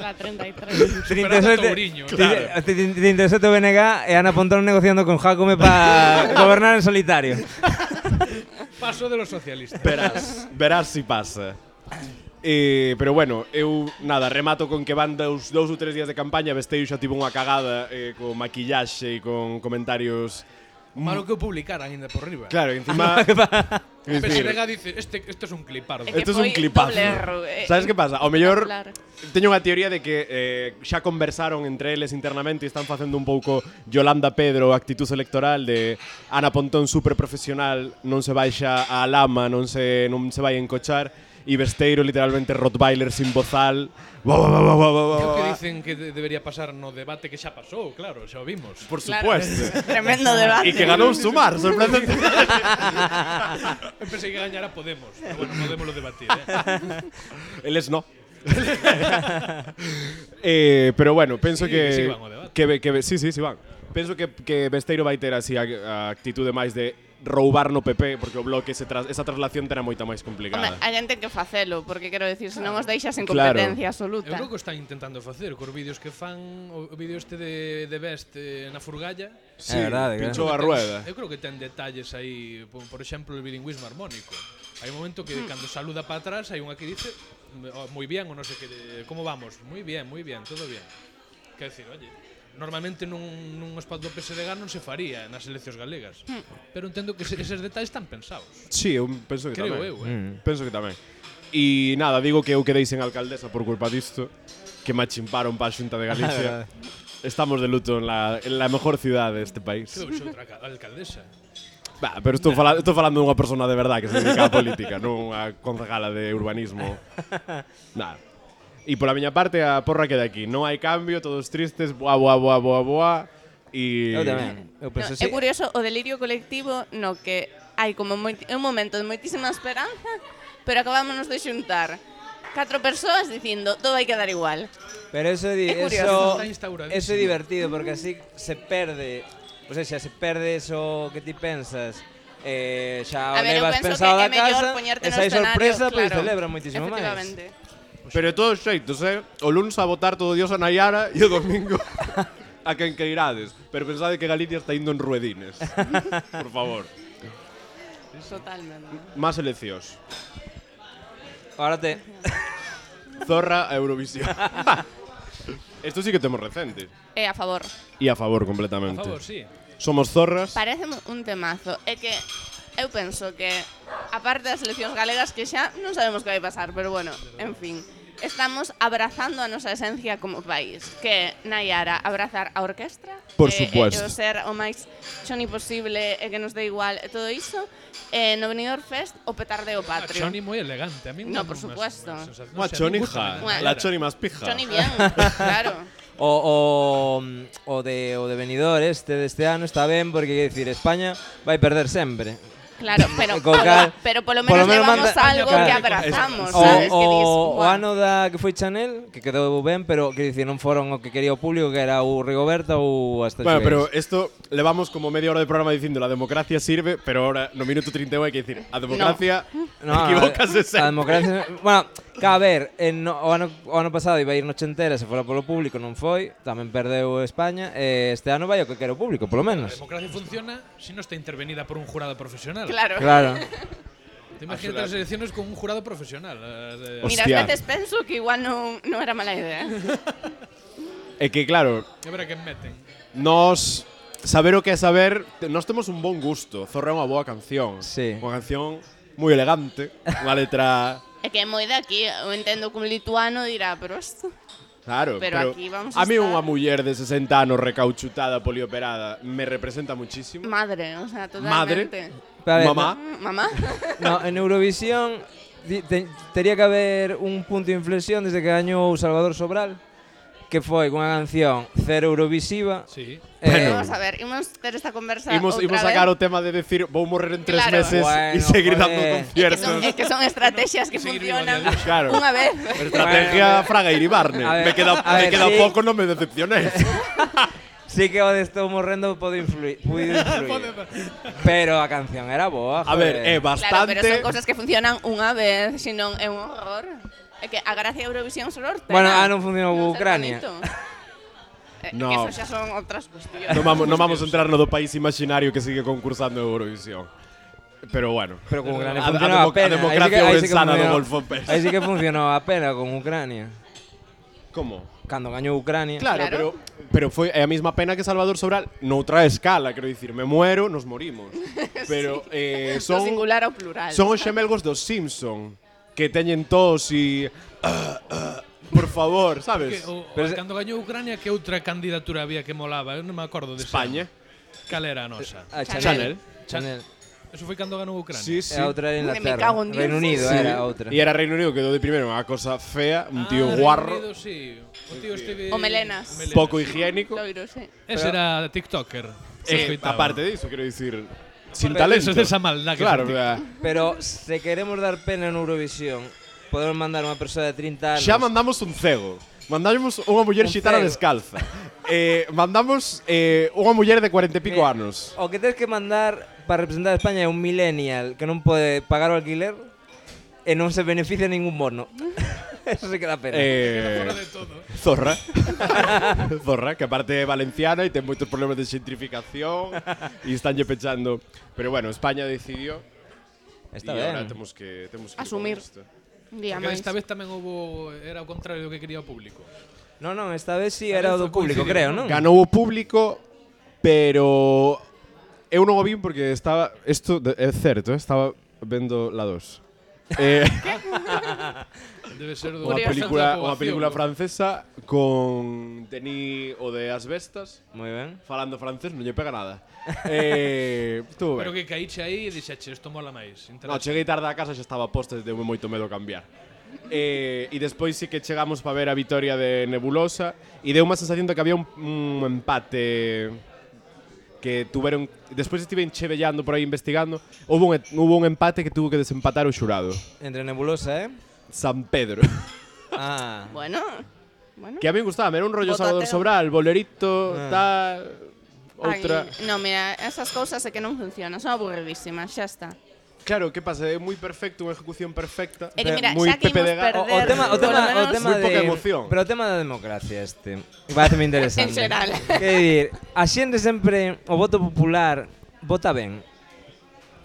La treinta y tres. Superando a Touriño, claro. trinta e sete o B N G e Ana Pontón negociando con Jacome para gobernar en solitario. Paso de los socialistas. Verás, verás si pasa. Eh, pero bueno, eu nada, remato con que van dous, dous ou tres días de campaña. Besteiro xa tivo unha cagada eh, con maquillaxe e con comentarios. Malo que o publicaran ainda por riba. Claro, encima. O Es P S decir, D G dice, este, este es un clipardo. É que esto es un foi clipazo. doble erro, eh, ¿Sabes qué pasa? Ao mellor Claro. teño unha teoría de que eh, xa conversaron entre eles internamente e están facendo un pouco Yolanda Pedro, actitud electoral de Ana Pontón super profesional, non se baixa a lama, non se non se vai encochar, e Besteiro literalmente Rottweiler sin bozal. Ba, ba, ba, ba, ba, ba, Creo que ba. dicen que de- debería pasar no debate que xa pasou, claro, xa o vimos. Por Claro. supuesto. Tremendo debate. E que ganou Sumar, sorprendente. Eu pensei que gañara Podemos, pero bueno, podemos lo debatir, eh. Eles no. eh, pero bueno, penso Sí, que que sí van ao debate. que, ve- que ve- sí, sí, sí van. Penso que que Besteiro vai ter así a, a actitude máis de roubar no P P, porque o bloque ese tras, esa traslación terá moita máis Home, complicada. hai gente que facelo, porque quero decir, se non os deixas en Claro. competencia Eu absoluta. creo que o están intentando facer cos vídeos que fan, o vídeo este de, de Best eh, na furgalla. Sí, É verdade, que- pinchou a rueda. Eu creo que ten detalles aí, por, por exemplo, el bilingüismo armónico. Hai un momento que cando saluda para atrás hai unha que dice oh, moi bien ou non sei que, de, como vamos? Moi bien, moi bien, todo bien. Quer decir, oye, normalmente nun, nun spot do P S D G non se faría nas eleccións galegas. Pero entendo que ese, eses detalles están pensados. Sí, eu penso que Creo tamén. eu, eh. Mm. Penso que tamén. E nada, digo que eu quedei sen alcaldesa por culpa disto, que me achimparon para a Xunta de Galicia. Estamos de luto en la, en la mejor ciudad deste país. Creo que xa outra ca- alcaldesa. Bah, pero estou, fala, estou falando dunha persona de verdade que se dedica á política, non unha concejala de urbanismo. Nada. E pola miña parte a porra queda aquí. Non hai cambio, todos tristes, boa, boa, boa, boa, boa. E Eu tamén. Eu No, penso é así. curioso o delirio colectivo no que hai como moiti, un momento de moitísima esperanza, pero acabámonos de xuntar catro persoas dicindo todo vai quedar igual. Pero eso, di, É curioso. eso, Está instauradísimo. eso é divertido porque así se perde, o sea, xa se perde eso que ti pensas. Eh, xa A o ver, eu levas penso pensado que é da mellor casa, poñerte no esa é escenario, sorpresa, pois claro, celebra moitísimo máis. efectivamente. Pero de todos xeitos, eh? O luns a votar todo Dios a Nayara e o domingo a quen que irades. Pero pensade que Galicia está indo en ruedines. Por favor. Totalmente. Más eleccións. Ahora te Zorra a Eurovisión. Esto sí que temos recente. É a favor. E a favor A completamente. favor, sí. Somos zorras. Parece un temazo. É que eu penso que aparte das eleccións galegas que xa non sabemos que vai pasar, pero bueno, en fin, estamos abrazando a nosa esencia como país, que Nayara abrazar a orquestra, Por e, supuesto. e, o ser o máis choni posible e que nos dé igual e todo iso, e no Benidorm Fest o petardeo A patrio. Choni moi elegante. A mí No, me- por me- supuesto. me- sensación- Unha no sé, chonija. me gusta, Bueno. La choni más pija. Choni bien, claro. O, o, o de o de Benidorm este deste ano está ben porque quer decir España vai perder sempre. Claro, pero, Co cal- pero polo polo menos menos levamos manda- algo claro. que abrazamos, O, sabes? o, que dis, o "Buah". ano da que foi Chanel, que quedou ben, pero que dicir non foron o que quería o público, que era o Rigoberta ou hasta Bueno, pero esto levamos como media hora de programa dicindo la democracia sirve, pero ahora no minuto treinta e un hai que decir a democracia equivócase a sempre. democracia, bueno, que a ver, en, no, o, ano, o ano pasado iba a ir nochentera, se fora polo público, non foi, tamén perdeu España, e este ano vai o que quere o público, polo A menos. democracia funciona si no está intervenida por un jurado profesional. Claro. Claro. Te imaginas las elecciones con un jurado profesional. eh, de- Mira, Hostia. ás veces penso que igual non, non era mala idea. É que claro, A ver a quen meten. nos saber o que é saber, te- nós temos un bon gusto. Zorra é unha boa canción. Sí. Unha canción moi elegante, unha letra É que é moi de aquí, eu entendo que un lituano dirá, pero isto... Claro, Pero pero, aquí vamos a a mí estar- unha muller de sesenta anos recauchutada, polioperada, me representa muchísimo. Madre, o sea, Madre. totalmente. A ver, Mamá. Mm, Mamá. No, en Eurovisión di- te, tería que haber un punto de inflexión desde que gañou Salvador Sobral, que foi unha canción cero eurovisiva. Sí. Eh, Vamos a ver, imos ter esta conversa Imos, outra imos vez. sacar o tema de decir vou morrer en tres Claro. meses e Bueno, seguir joder. dando É que conciertos. son, é que son estrategias que Seguir vivo funcionan a día de hoxe. Claro. unha vez. Estrategia Fraga Iribarne. A ver, me queda, a me ver, queda sí. pouco, non me decepcionéis. Sí que o de estou morrendo pode influir, puido influir. Pero a canción era boa, A ver, é joder. Claro, pero son bastante. cosas que funcionan unha vez, senón é un horror. É que a gracia de Eurovisión só os Bueno, ah, non funcionou Non ser Ucrania. bonito. É No. que eso xa son outras cuestións. Non vamos, non vamos a entrar no do país imaginario que sigue concursando en Eurovisión. Pero bueno. Pero con Ucrania A- a funcionou a, demo- a pena. democracia aí sí que, aí sí que ourensana do funcionou- Golfo Pérez. Aí sí que funcionou a pena con Ucrania. Como? Cando gañou Ucrania. Claro, Claro. pero pero foi é a mesma pena que Salvador Sobral noutra escala, quero dicir, me muero, nos morimos. Pero eh, Do son singular ao plural. son os xemelgos dos Simpson que teñen tos e ah, ah, por favor, Que, sabes? o, Pero o, se- cando gañou Ucrania, que outra candidatura había que molaba? Eu non me acordo de España. Cal era a nosa? A Chanel. Chanel. Eso foi cando ganou Ucrania. Sí, E sí. a outra era Me Inglaterra. cago en Dios. Reino Unido Sí. era a outra. E era Reino Unido, quedou de primeiro unha cosa fea, un tío Ah, guarro, Reino Unido, sí. O tío este O melenas. pouco higiénico. Loiro, sí. Ese era TikToker. Eh, Escoitaba. aparte diso, quero dicir, sin Pero talento. eso de esa maldad que Claro, sentí. verdad. Pero se queremos dar pena en Eurovisión, podemos mandar unha persoa de trinta anos. Xa mandamos un cego. Mandamos unha muller Un xitana cego. descalza. eh, mandamos eh, unha muller de cuarenta e pico Eh, anos. O que tens que mandar para representar a España é un millennial que non pode pagar o alquiler e non se beneficia ningún bono. Eso se queda pena. Eh, Zorra. Zorra, que aparte é valenciana e ten moitos problemas de xentrificación e estánlle pechando. Pero bueno, España decidió Está e agora ben. temos que temos que ir Asumir. con isto. Un día Porque máis. esta vez tamén houve era o contrario do que quería o público. Non, non, esta vez sí A era o ver, do foi público, coincidir, creo, non? non? Ganou o público, pero eu non o vin porque estaba isto de- é certo, eh, estaba vendo la dos. Eh, Debe ser do unha Curioso. película, da unha poboación, película ¿no? francesa con Denis o de As Bestas Moi ben. falando francés, non lle pega nada. eh, estuvo Pero ben. que caíche aí e dixeche, isto mola máis. No, interesa. cheguei tarde a casa, xa estaba posta e deu moito medo cambiar. Eh, e despois sí que chegamos para ver a vitoria de Nebulosa e deu unha sensación de que había un, un empate que tuveron despois estive chevellando por aí investigando, houve un, houve un empate que tuvo que desempatar o xurado. Entre Nebulosa, eh? San Pedro. Ah. Bueno, bueno. Que a mí me gustaba, era un rollo Botateo. Salvador Sobral, bolerito, Ah. tal, outra. Ai, no, mira, esas cousas é que non funcionan, son aburridísimas, xa está. Claro, que pasa? É moi perfecto, unha ejecución perfecta. É que mira, moi xa que Pepe de imos Ga- O, perder, o tema, o por tema, lo o menos, tema Moi de pouca emoción. Pero o tema da democracia este. Parece interesante. En xeral. Que dir, a xente sempre o voto popular vota ben.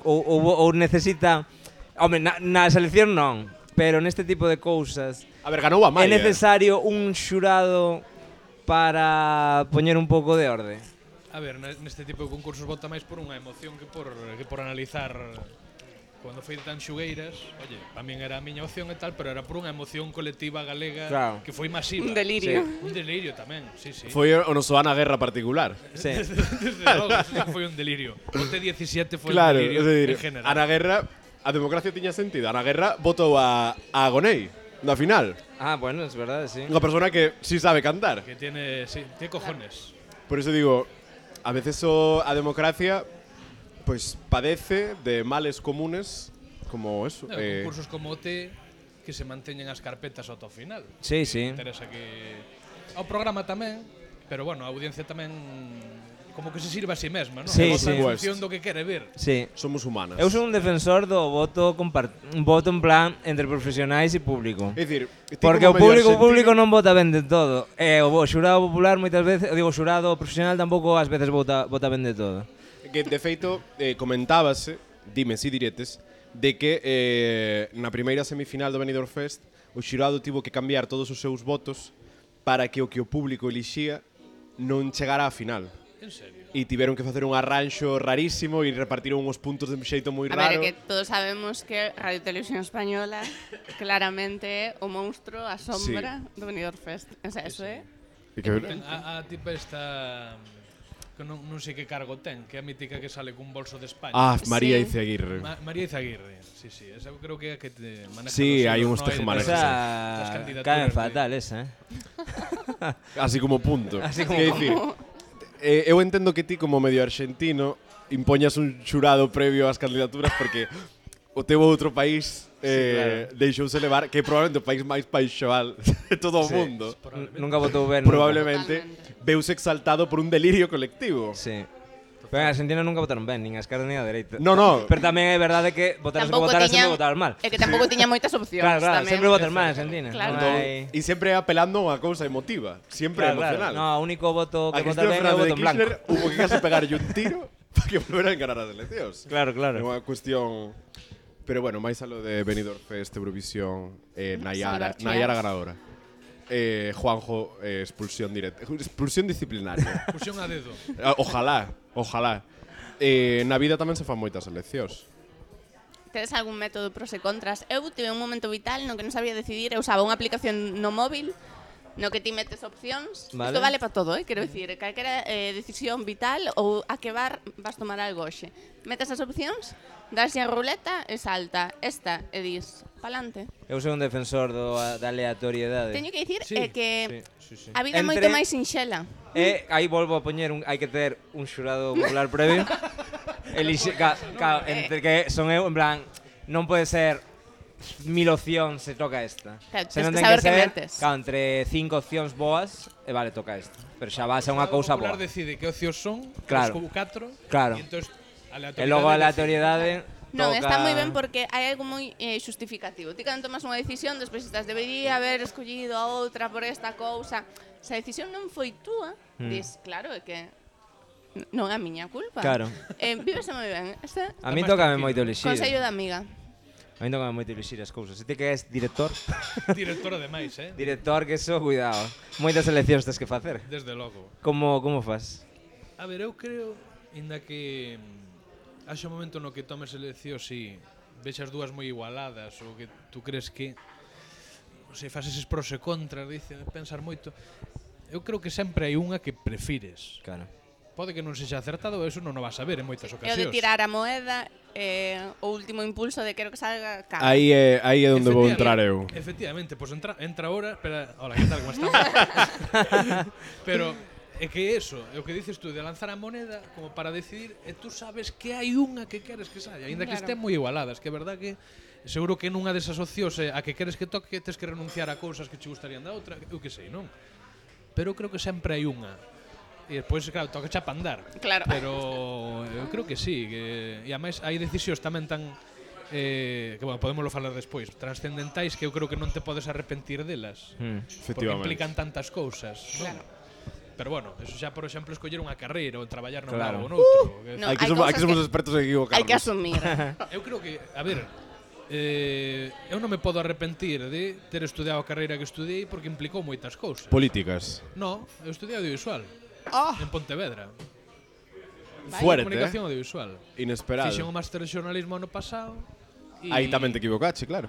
Ou, ou, ou necesita, home, na, na selección non, pero neste tipo de cousas A ver, ganou a é Maia. necesario un xurado para poñer un pouco de orde. A ver, ne- neste tipo de concursos vota máis por unha emoción que por que por analizar. Cando foi tan xugueiras, oye, tamén era a miña opción e tal, pero era por unha emoción colectiva galega Claro. que foi masiva. Un delirio. Un delirio tamén, sí, sí. Foi o noso Ana Guerra particular. Sí. Desde logo, eso foi un delirio. O T diecisiete foi Claro, un delirio é dicir, en general. Ana Guerra, a democracia tiña sentido. Ana Guerra votou a, a Agonei na final. Ah, bueno, es verdade, sí. Unha persona que sí sabe cantar. Que tiene, sí, tiene cojones. Por eso digo, a veces o, a democracia pues padece de males comunes como eso. No, eh, concursos como o T que se manteñen as carpetas ata o final. Sí, Que sí. interesa que ao programa tamén, pero bueno, a audiencia tamén como que se sirve a sí mesma, non? Sí, Vota sí. en función do que quere ver. Sí. somos humanas. Eu sou un defensor do voto compart un voto en plan entre profesionais e público. É dicir, ti Porque o como medio público o arxentino- público non vota ben de todo. E o bo- xurado popular moitas veces, digo, o xurado profesional tampouco ás veces vota vota ben de todo. que de feito eh, comentábase, dime si diretes, de que eh, na primeira semifinal do Benidorm Fest o xurado tivo que cambiar todos os seus votos para que o que o público elixía non chegara á final. En serio. E tiveron que facer un arranxo rarísimo e repartiron uns puntos de un xeito moi A raro. ver, é que todos sabemos que Radio Televisión Española claramente é o monstro, a sombra do Benidorm Fest. O sea, eso é... E que- Ten a, a tipa esta que non, non sei que cargo ten, que é a mítica que sale cun bolso de España. Ah, María Sí. Izaguirre. Ma María Izaguirre, sí, sí, esa eu creo que é a que te maneja Sí, los hai uns hilos, ¿no? tejemanejes. Das- das Esa candidaturas cae de- fatal esa, eh. Así como punto. Así como Quer dicir, eh, eu entendo que ti como medio argentino impoñas un xurado previo ás candidaturas porque o teu outro país eh, sí, claro. deixouse levar, que é probablemente o país máis paixoal de todo o Sí. mundo. N- Nunca votou ben. nunca. Probablemente Totalmente. veuse exaltado por un delirio colectivo. Sí. Pero en Argentina nunca votaron ben, nin a esquerda nin a dereita. No, no. Pero tamén é verdade que votar as que votaras sempre votaron mal. É que tampouco tiña moitas opcións. Claro, claro, tamén. sempre votan mal en Argentina. Claro. Non Entón, hai- e sempre apelando a unha cousa emotiva, sempre Claro, claro. emocional. No, o único voto A que vota Cristina ben é o Fernández voto de en blanco. Kirchner hubo que case pegarlle un tiro para que volvera a enganar as eleccións. Claro, É claro. unha cuestión. Pero bueno, máis a lo de Benidorm Fest, Eurovisión, eh, Nayara, Salvar Nayara cheas. ganadora. Eh, Juanjo, eh, expulsión directa. Expulsión disciplinaria. Fusión a dedo. Ah, ojalá, ojalá. Eh, na vida tamén se fan moitas eleccións. Tedes algún método pros e contras? Eu tive un momento vital no que non sabía decidir, eu usaba unha aplicación no móvil no que ti metes opcións. Vale. Isto vale para todo, eh? Quero dicir, calquera eh, decisión vital ou a que bar vas tomar algo hoxe. Metes as opcións, daslle a ruleta e salta esta e dis, pa'lante. Eu sou un defensor do, da aleatoriedade. Teño que dicir Sí, eh, que Sí, sí, sí. a vida é Entre- moito máis sinxela. E aí volvo a poñer un, hai que ter un xurado popular previo. Elixe, ca, ca, entre que son eu, en plan, non pode ser mil opcións se toca esta. Claro, Se tens non que ten saber que que ser, metes. claro, entre cinco opcións boas, e vale, toca esta. Pero xa vas a unha cousa O Popular boa. decide que opcións son, Claro. os catro, Claro. e entón E logo a aleatoriedade Non, toca... está moi ben porque hai algo moi eh, xustificativo. Ti cando tomas unha decisión, despois estás, debería haber escollido a outra por esta cousa. Se a decisión non foi túa, Mm. dis, claro, é que n- non é a miña culpa. Claro. Eh, vívese moi ben. Este A mí máis tócame tranquilo. moito elixir. consello da amiga. A mí tócame moito elixir as cousas. Se ti que és director, Director ademais, eh? director que eso, cuidado. Moitas eleccións tes que facer. Desde logo. Como como fas? A ver, eu creo, inda que mm, haxe un momento no que tomes eleccións e vexas dúas moi igualadas ou que tú crees que non sei, fas eses pros e contras, dice, pensar moito. Eu creo que sempre hai unha que prefires. Claro. Pode que non sexa acertado, eso non o vas a ver en moitas É o ocasións. de tirar a moeda, eh, o último impulso de quero que salga cá. Aí é, aí é onde vou entrar eu. Efectivamente, pois entra, entra ahora, espera, hola, que tal, como estamos? Pero é que eso, é o que dices tú, de lanzar a moneda como para decidir, e tú sabes que hai unha que queres que saia, aínda que Claro. estén moi igualadas, que é verdad que seguro que nunha desas opcións eh, a que queres que toque, tes que renunciar a cousas que che gustarían da outra, eu que sei, non? Pero eu creo que sempre hai unha. E despois, claro, toca xa pandar. Claro. Pero eu creo que sí, que e ademais hai decisións tamén tan eh, que bueno, podémoslo falar despois, transcendentais que eu creo que non te podes arrepentir delas. Mm. Porque Efectivamente. implican tantas cousas, non? Claro. Pero bueno, eso xa, por exemplo, escoller unha carreira ou traballar nun Claro. lado ou noutro. No, Aquí hai somos, cousas aquí somos que- expertos en equivocarnos. Hai que asumir. Eu creo que, a ver, eh, eu non me podo arrepentir de ter estudiado a carreira que estudiei porque implicou moitas cousas. Políticas. No, eu estudiei audiovisual. Ah, En Pontevedra. fuerte, Comunicación eh? audiovisual. Inesperado. Fixen o máster de xornalismo ano pasado. e- Aí tamén te equivocache, claro.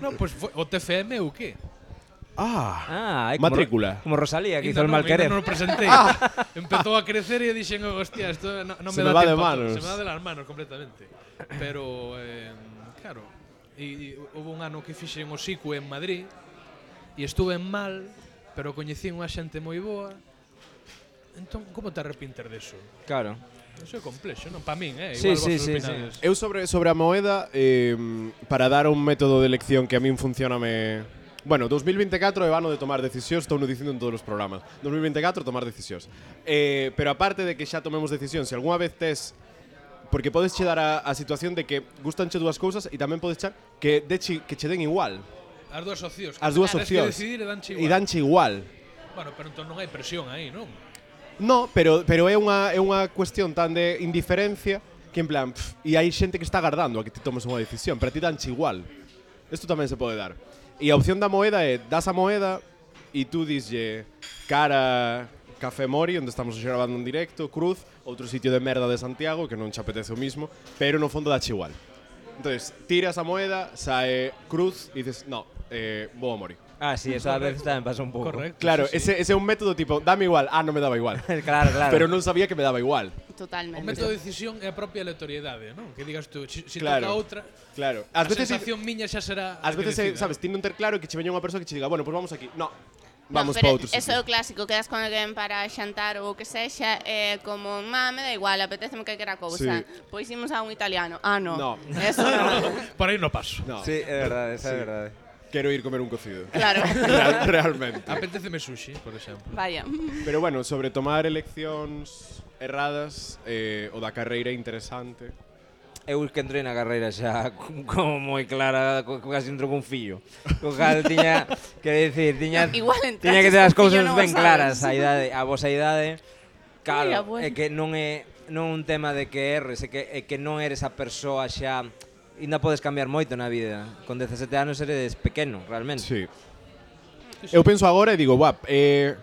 No, pois pues, o T F M ou que? Ah, Ah, hai como, Matrícula. como Rosalía, que hizo Ainda el non, mal querer. ainda non o presentei. Empezou a crecer e dixen, oh, hostia, esto no, no Se me, me da va de tiempo a todo. manos. Se me va de las manos completamente. Pero, eh, claro, e, e houve un ano que fixen o S I C U en Madrid e estuve mal, pero coñecín unha xente moi boa. Entón, como te arrepinter deso? Claro. Eso é complexo, non? Pa min, eh? Sí, Igual sí, vos sí, opinades. eu sobre, sobre a moeda, eh, para dar un método de elección que a min funciona me... Bueno, dos mil veinticuatro é o ano de tomar decisións, estou no dicindo en todos os programas. dos mil veinticuatro, tomar decisións. Eh, pero aparte de que xa tomemos decisións, se algunha vez tes... Porque podes che dar a, a situación de que gustanche dúas cousas e tamén podes char que, deche, que che den igual. As dúas opcións. As dúas Tens opcións. que decidir e danche E igual. danche igual. Bueno, pero entón non hai presión aí, non? No, pero, pero é unha, é unha cuestión tan de indiferencia que en plan, pff, e hai xente que está agardando a que ti tomes unha decisión, pero a ti danche igual. Isto tamén se pode dar. E a opción da moeda é, das a moeda e tú dislle cara Café Mori, onde estamos grabando en directo, Cruz, outro sitio de merda de Santiago, que non che apetece o mismo, pero no fondo dache igual. Entonces, tiras a moeda, sae Cruz e dices, no, eh, vou a Mori. Ah, sí, eso a veces tamén pasa un pouco. Correcto. Claro, sí, sí. ese, ese é un método tipo, dame igual, ah, non me daba igual. claro, claro. Pero non sabía que me daba igual. O Totalmente. método de decisión é a propia aleatoriedade, non? Que digas tú, si, si Claro. toca outra, Claro. a Ás veces sensación miña xa será Ás a que veces, eh, decida. sabes, ti non ter claro que che veña unha persoa que che diga, bueno, pois pues vamos aquí. No, vamos no, para pero outro eso é sitio. o clásico, quedas con alguén para xantar ou o que sexa, é como, má, me da igual, apeteceme calquera cousa. Sí. Pois imos a un italiano. Ah, no. No. Eso non. Por aí no paso. No, Sí, é verdade, esa é verdade. quero ir comer un cocido. Claro. Real, realmente. Apeteceme sushi, por exemplo. Vaya. Pero bueno, sobre tomar eleccións erradas, eh, o da carreira interesante. Eu que entrei na carreira xa como moi clara, co- casi entro con fillo. Co cal tiña que decir, tiña No, igual entraches tiña que ter as con fillo, cousas non o ben sabes. claras, a idade, a vosa idade. Claro, Mira, bueno. é que non é non un tema de que erres, é que é que non eres a persoa xa ainda podes cambiar moito na vida. Con dezasete anos eres pequeno, realmente. Sí. Eu penso agora e digo, guap, eh,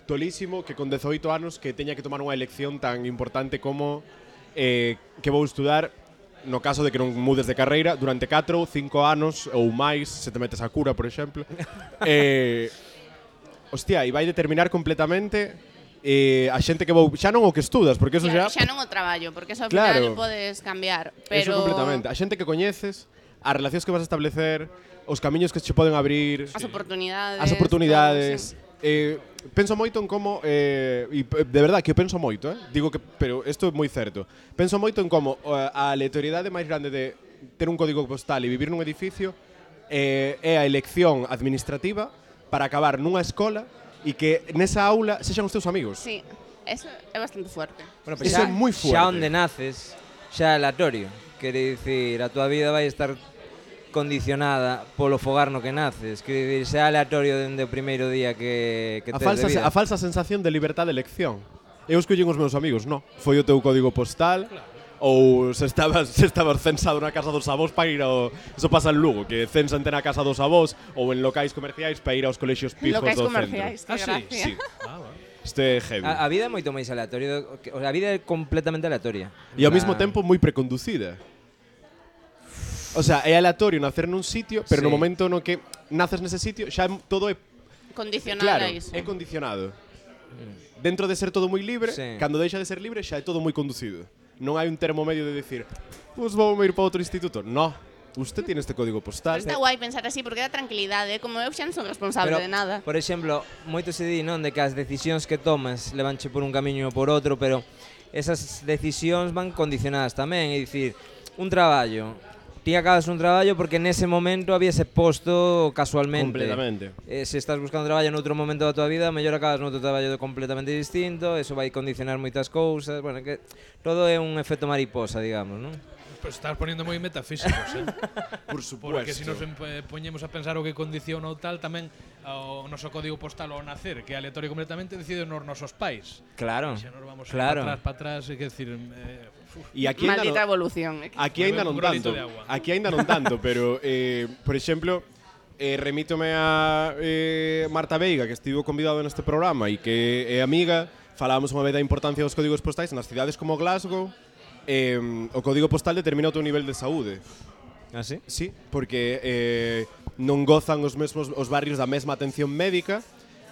tolísimo que con dezoito anos que teña que tomar unha elección tan importante como eh, que vou estudar no caso de que non mudes de carreira durante catro, cinco anos ou máis, se te metes a cura, por exemplo. eh, hostia, e vai determinar completamente eh, a xente que vou, xa non o que estudas, porque eso Claro, xa xa non o traballo, porque eso ao Claro. final podes cambiar, pero Eso completamente. A xente que coñeces, as relacións que vas a establecer, os camiños que che poden abrir, as oportunidades. as oportunidades. todo, Eh, penso moito en como eh, e p- de verdad que eu penso moito, eh? Digo que pero isto é moi certo. Penso moito en como eh, a aleatoriedade máis grande de ter un código postal e vivir nun edificio eh, é a elección administrativa para acabar nunha escola e que nesa aula sexan os teus amigos. Sí, eso é bastante fuerte. Bueno, Eso é moi fuerte. Xa onde naces, xa é aleatorio. Quere dicir, a tua vida vai estar condicionada polo fogar no que naces. Quere dicir, xa é aleatorio dende o primeiro día que, que A tes falsa, de vida. a falsa sensación de libertad de elección. Eu escollen os meus amigos, no. Foi o teu código postal, ou se estabas, se estabas censado na casa dos avós para ir ao... Eso pasa en Lugo, que censante na casa dos avós ou en locais comerciais para ir aos colexios pijos Locais do comerciais, centro. que Ah, sí? gracia. Sí. Ah, vale. Isto é heavy. A, a vida é moito máis aleatorio, que- o sea, a vida é completamente aleatoria. E ao En mesmo plan- tempo moi preconducida. O sea, é aleatorio nacer nun sitio, pero no Sí. momento no que naces nese sitio, xa é- todo é Condicional claro, a iso. é condicionado. Dentro de ser todo moi libre, Sí. cando deixa de ser libre xa é todo moi conducido. Non hai un termo medio de decir, pues vou ir para outro instituto. No, usted tiene este código postal. Pero está guai pensar así porque dá tranquilidade, como eu xa non son responsable Pero, de nada. por exemplo, moito se di, non, de que as decisións que tomas levanche por un camiño ou por outro, pero esas decisións van condicionadas tamén, é dicir, un traballo, ti acabas un traballo porque nese momento había ese posto casualmente. Completamente. Eh, se estás buscando traballo noutro momento da tua vida, mellor acabas noutro traballo completamente distinto, eso vai condicionar moitas cousas, bueno, que todo é un efecto mariposa, digamos, non? Pues estás poniendo moi metafísicos, eh? Por supuesto. Porque se nos empe- poñemos a pensar o que condiciona ou tal, tamén o noso código postal ao nacer, que é aleatorio completamente, decide nos nosos pais. Claro, E xa nos vamos claro. para atrás, para atrás, é que decir, eh, uf, E aquí ainda Maldita non, evolución. eh, que- aquí ainda Un non granito tanto. de agua. Aquí ainda non tanto, pero eh, por exemplo, eh, remítome a eh, Marta Veiga, que estivo convidado neste programa e que é amiga, falábamos unha vez da importancia dos códigos postais nas cidades como Glasgow. Eh, o código postal determina o teu nivel de saúde. Ah, sí? Sí, porque eh, non gozan os mesmos os barrios da mesma atención médica.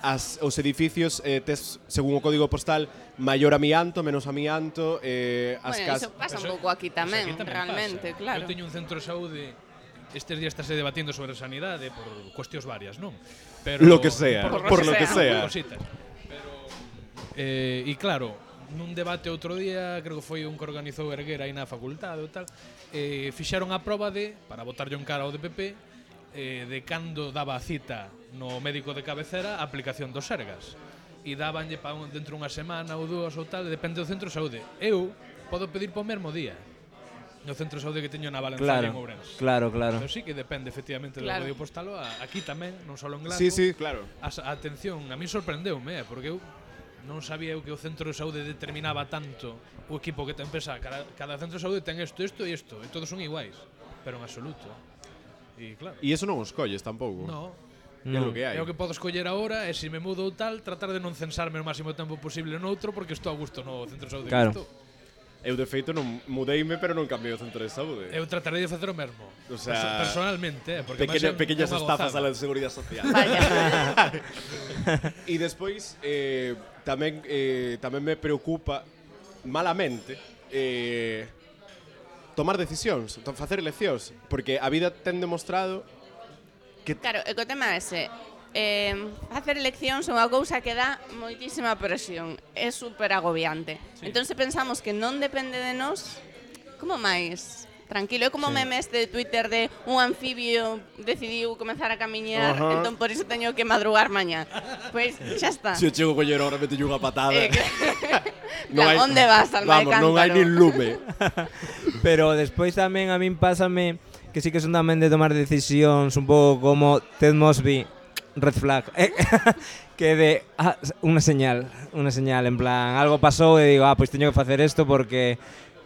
As, os edificios eh, tes, según o código postal, maior amianto, menos amianto, eh, as Bueno, casas... iso pasa Eso- un pouco aquí eso tamén, aquí realmente, pasa. claro. Eu teño un centro de saúde, estes días estáse debatindo sobre sanidade por cuestións varias, non? Pero Lo que sea, por por lo lo que que sea. por cositas. Pero eh, e claro, nun debate outro día, creo que foi un que organizou Erguera aí na facultade ou tal, eh, fixeron a proba de, para botarlle un cara ao D P P, eh, de cando daba a cita no médico de cabecera a aplicación dos Sergas. E dabanlle pa un, dentro unha semana ou dúas ou tal, depende do centro de saúde. Eu podo pedir po mesmo día no centro de saúde que teño na Valenzuela Claro, en Ourense. claro, claro. Pero sí que depende efectivamente do Claro. código postal. a- Aquí tamén, non só en Glasgow. Sí, sí, claro. A, a atención, a mí sorprendeume, eh, porque eu non sabía eu que o centro de saúde determinaba tanto o equipo que ten pensar. Cada, cada centro de saúde ten isto, isto e isto, e todos son iguais, pero en absoluto. E claro, E iso non os colles tampouco. no, É o que hai. é o que podo escoller agora, e se me mudo ou tal, tratar de non censarme o máximo tempo posible noutro, porque estou a gusto no centro de saúde Claro. que estou. Eu, de feito, non mudeime, pero non cambiei o centro de saúde. Eu tratarei de facer o mesmo. O sea, Perso- personalmente, eh, porque Pequeña, máis é pequeñas unha estafas a gozada. la seguridade social. Vaya. E despois eh, tamén eh, tamén me preocupa malamente eh, tomar decisións, to- facer eleccións, porque a vida ten demostrado que Claro, e co tema ese, eh, facer eleccións é unha cousa que dá moitísima presión, é super agobiante. Sí. Entón, se pensamos que non depende de nós, como máis tranquilo? É como sí. Meme este de Twitter de un anfibio decidiu comenzar a camiñar, Ajá. entón por iso teño que madrugar mañá. Pois xa está. se o chego collero ahora mete unha patada. Eh, que- Plan, onde vas, alma de Vamos, non hai cántaro? nin lume. Pero despois tamén a min pásame que sí que son tamén de tomar decisións un pouco como Ted Mosby, red flag. Eh, que de ah, unha señal, unha señal en plan, algo pasou e digo, ah, pois teño que facer isto porque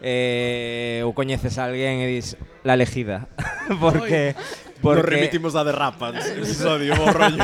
eh, ou coñeces a alguén e dis la elegida. porque Nos porque remitimos a Derrapans, episodio, bo rollo.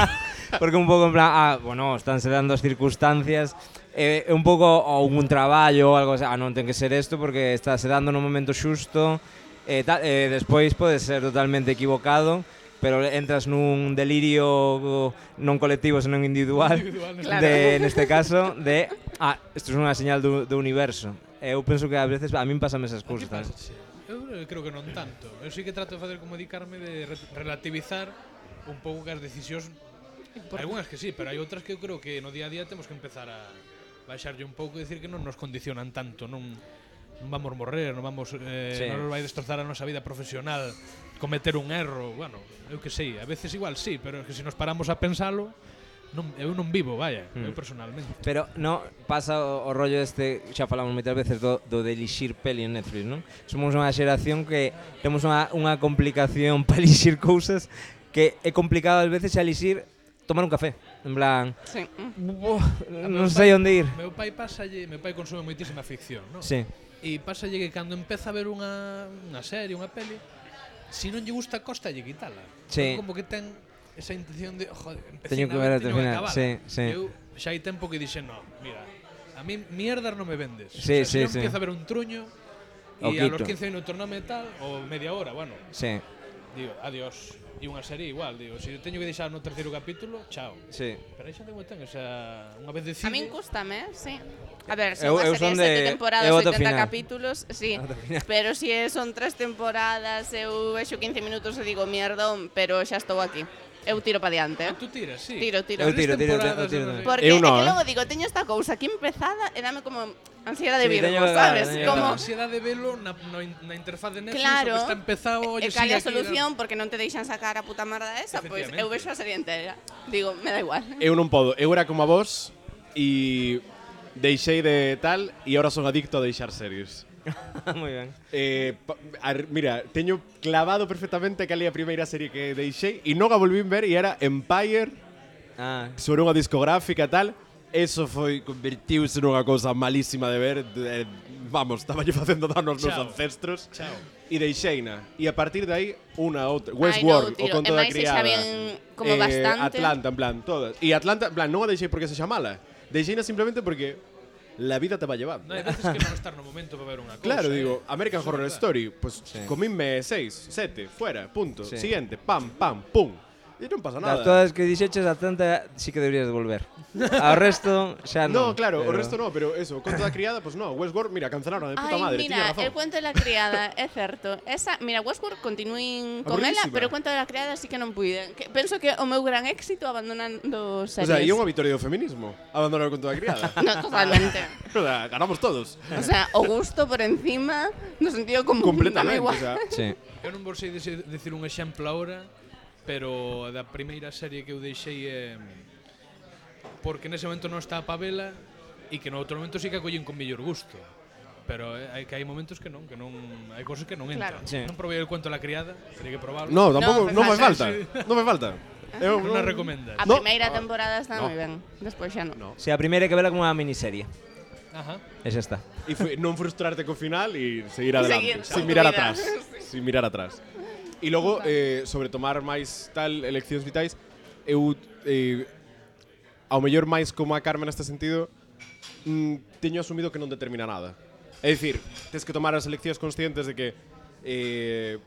porque un pouco en plan, ah, bueno, estánse dando as circunstancias eh, un pouco ou un traballo ou algo así, ah, non ten que ser isto porque estáse dando no momento xusto e tal, eh, despois pode ser totalmente equivocado, pero entras nun delirio non colectivo, senón individual, Individual, Claro. de, neste caso, de, ah, isto é unha señal do, do universo. Eu penso que a veces a min pásame esas A ti cousas. pásache? Eu eh, creo que non tanto. Eu sí que trato de facer como dedicarme de re relativizar un pouco que as decisións. Hai algunhas que sí, pero hai outras que eu creo que no día a día temos que empezar a baixarlle un pouco e decir que non nos condicionan tanto, non non vamos morrer, non vamos eh, Sí. non nos vai destrozar a nosa vida profesional cometer un erro, bueno, eu que sei, a veces igual sí, pero é que se nos paramos a pensalo, non, eu non vivo, vaya, Mm. eu personalmente. Pero no pasa o, o rollo este, xa falamos moitas veces do, do de elixir peli en Netflix, non? Somos unha xeración que temos unha, unha complicación para elixir cousas que é complicado ás veces a elixir tomar un café. En plan, Sí. "Buah, non sei onde ir." Meu pai pasalle, meu pai consume moitísima ficción, non? Sí. E pasalle que cando empeza a ver unha, unha serie, unha peli, se non lle gusta, costa lle quitala. Sí. Como que ten esa intención de, joder, empecé Teño que ver ata o final, sí, sí. Eu xa hai tempo que dixen, no, mira, a mí mierdas non me vendes. Sí, o sea, sí, se eu sí. empiezo a ver un truño O e a los quito. quince minutos non me tal, ou media hora, bueno, Sí, digo, adiós. E unha serie igual, digo, se teño que deixar no terceiro capítulo, chao. sí. Pero aí xa tengo ten, o sea, unha vez decide... A min cústame, sí. A ver, se Eu- unha eu serie son de sete de- temporadas, eu ata o oitenta final. capítulos, sí. Ata o final. Pero si son tres temporadas, eu vexo quince minutos e digo, mierdón, pero xa estou aquí. Eu tiro pa diante. Ah, tú tiras, sí. Tiro, tiro. Eu tiro, tiro, Temporadas, tiro, non sei. tiro. Porque Eu é no, que eh. logo digo, teño esta cousa aquí empezada e dame como ansiedade de Sí, Virgo, teño que sabes? acabar, teño que Como A ansiedade de velo na, no, na interfaz de Netflix, Claro. o que está empezado, E oye, cal sigue é a aquí, solución porque non te deixan sacar a puta merda esa, pois Efectivamente. eu vexo a serie entera. Digo, me da igual. Eu non podo. Eu era como a vos e deixei de tal e ahora son adicto a deixar series. Moi ben. Eh, pa- ar, mira, teño clavado perfectamente cal é a primeira serie que deixei e non a volvín ver e era Empire Ah, sobre unha discográfica e tal. Eso foi convertiuse nunha cousa malísima de ver. De, eh, vamos, estaba lle facendo dano aos meus Chao. ancestros. Chao. E deixeina. E a partir de aí, unha outra. Ai, Westworld, non, o tiro. conto E da máis se criada. xa ven como bastante. Atlanta, en plan, todas. E Atlanta, en plan, non a deixei porque sexa mala. Deixeina simplemente porque la vida te va llevando. No, hai veces que non estar no momento para ver unha cousa. Claro, eh. digo, American Eso é Horror verdad. Story, pues Sí. comínme seis, sete, fuera, punto. Sí. Siguiente, pam, pam, pum. E non pasa nada. das todas que dixeches a tanta sí que deberías de volver. Ao resto xa No, non. claro, pero- o resto no, pero eso, conto da criada, pues no, Westworld, mira, cancelaron de puta Ai, madre, tiña mira, razón. el cuento de la criada, é certo. Esa, mira, Westworld continuín con ela, Aburridísima. pero o cuento de la criada sí que non puide. Que, penso que o meu gran éxito abandonando O series. sea, e é unha victoria do feminismo, abandonar o conto da criada. No, totalmente. O sea, ganamos todos. O sea, o gusto por encima, no sentido común. Completamente, dame igual. o sea, Sí. Eu non vos sei dicir, dicir un exemplo ahora, pero da primeira serie que eu deixei é porque nese momento non está pa vela e que no outro momento sí que a collen con mellor gusto. Pero eh, hai que hai momentos que non, que non hai cousas que non entran. Claro. Sí. Non probei el cuento da criada, teria que probarlo. no, tampouco, No, non me me falta. falta. Non me falta. Eu non a recomendas. A No. primeira temporada está No. moi ben, despois xa non. No. Si a primeira hai que vela como unha miniserie. Ajá. E xa está. E foi non frustrarte co final e seguir adelante, Seguir sin con tu mirar vida. atrás, sin mirar atrás. E logo, eh, sobre tomar máis tal eleccións vitais, eu eh, ao mellor máis como a Carmen neste sentido, mm, teño asumido que non determina nada. É dicir, tes que tomar as eleccións conscientes de que eh,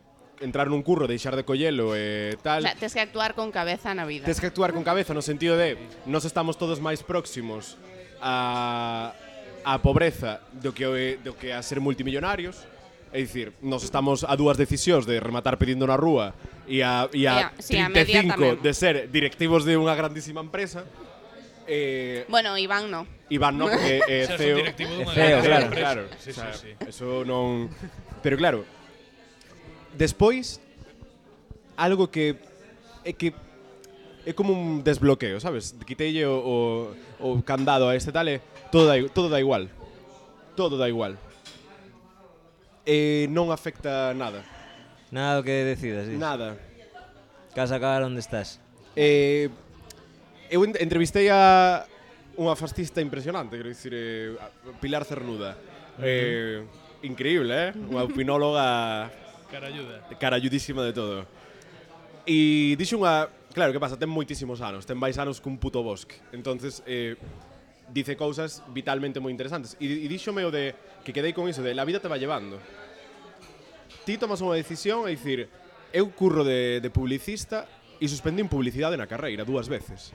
entrar nun curro, deixar de collelo e O tal. sea, tes que actuar con cabeza na vida. Tes que actuar con cabeza no sentido de nos estamos todos máis próximos a a pobreza do que o- do que a ser multimillonarios. É dicir, nos estamos a dúas decisións de rematar pedindo na rúa e a, e a E a- sí, a trinta e media cinco tamén. de ser directivos de unha grandísima empresa. Eh, Bueno, Iván no. Iván non, porque é Xa C E son O. directivo dunha É C E O, grande claro. empresa. Claro, Sí, o sea, sí, sí. eso non. Pero claro, despois algo que é que é como un desbloqueo, sabes? Quiteille o, o, o candado a este tal e todo da, todo da igual. Todo da igual. E non afecta nada. Nada do que decidas, dis. Nada. Que vas a acabar onde estás. Eh, eu en- entrevistei a unha fascista impresionante, quero dicir, eh, a Pilar Cernuda. Eh, increíble, eh? Unha opinóloga Carayuda. caralludísima de todo. E dixo unha... Claro, que pasa? Ten moitísimos anos. Ten máis anos que un puto bosque. Entonces, eh, dice cousas vitalmente moi interesantes. E, e díxome o de... Que quedei con iso de... La vida te va llevando. Ti tomas unha decisión, é dicir... Eu curro de, de publicista e suspendín publicidade na carreira dúas veces.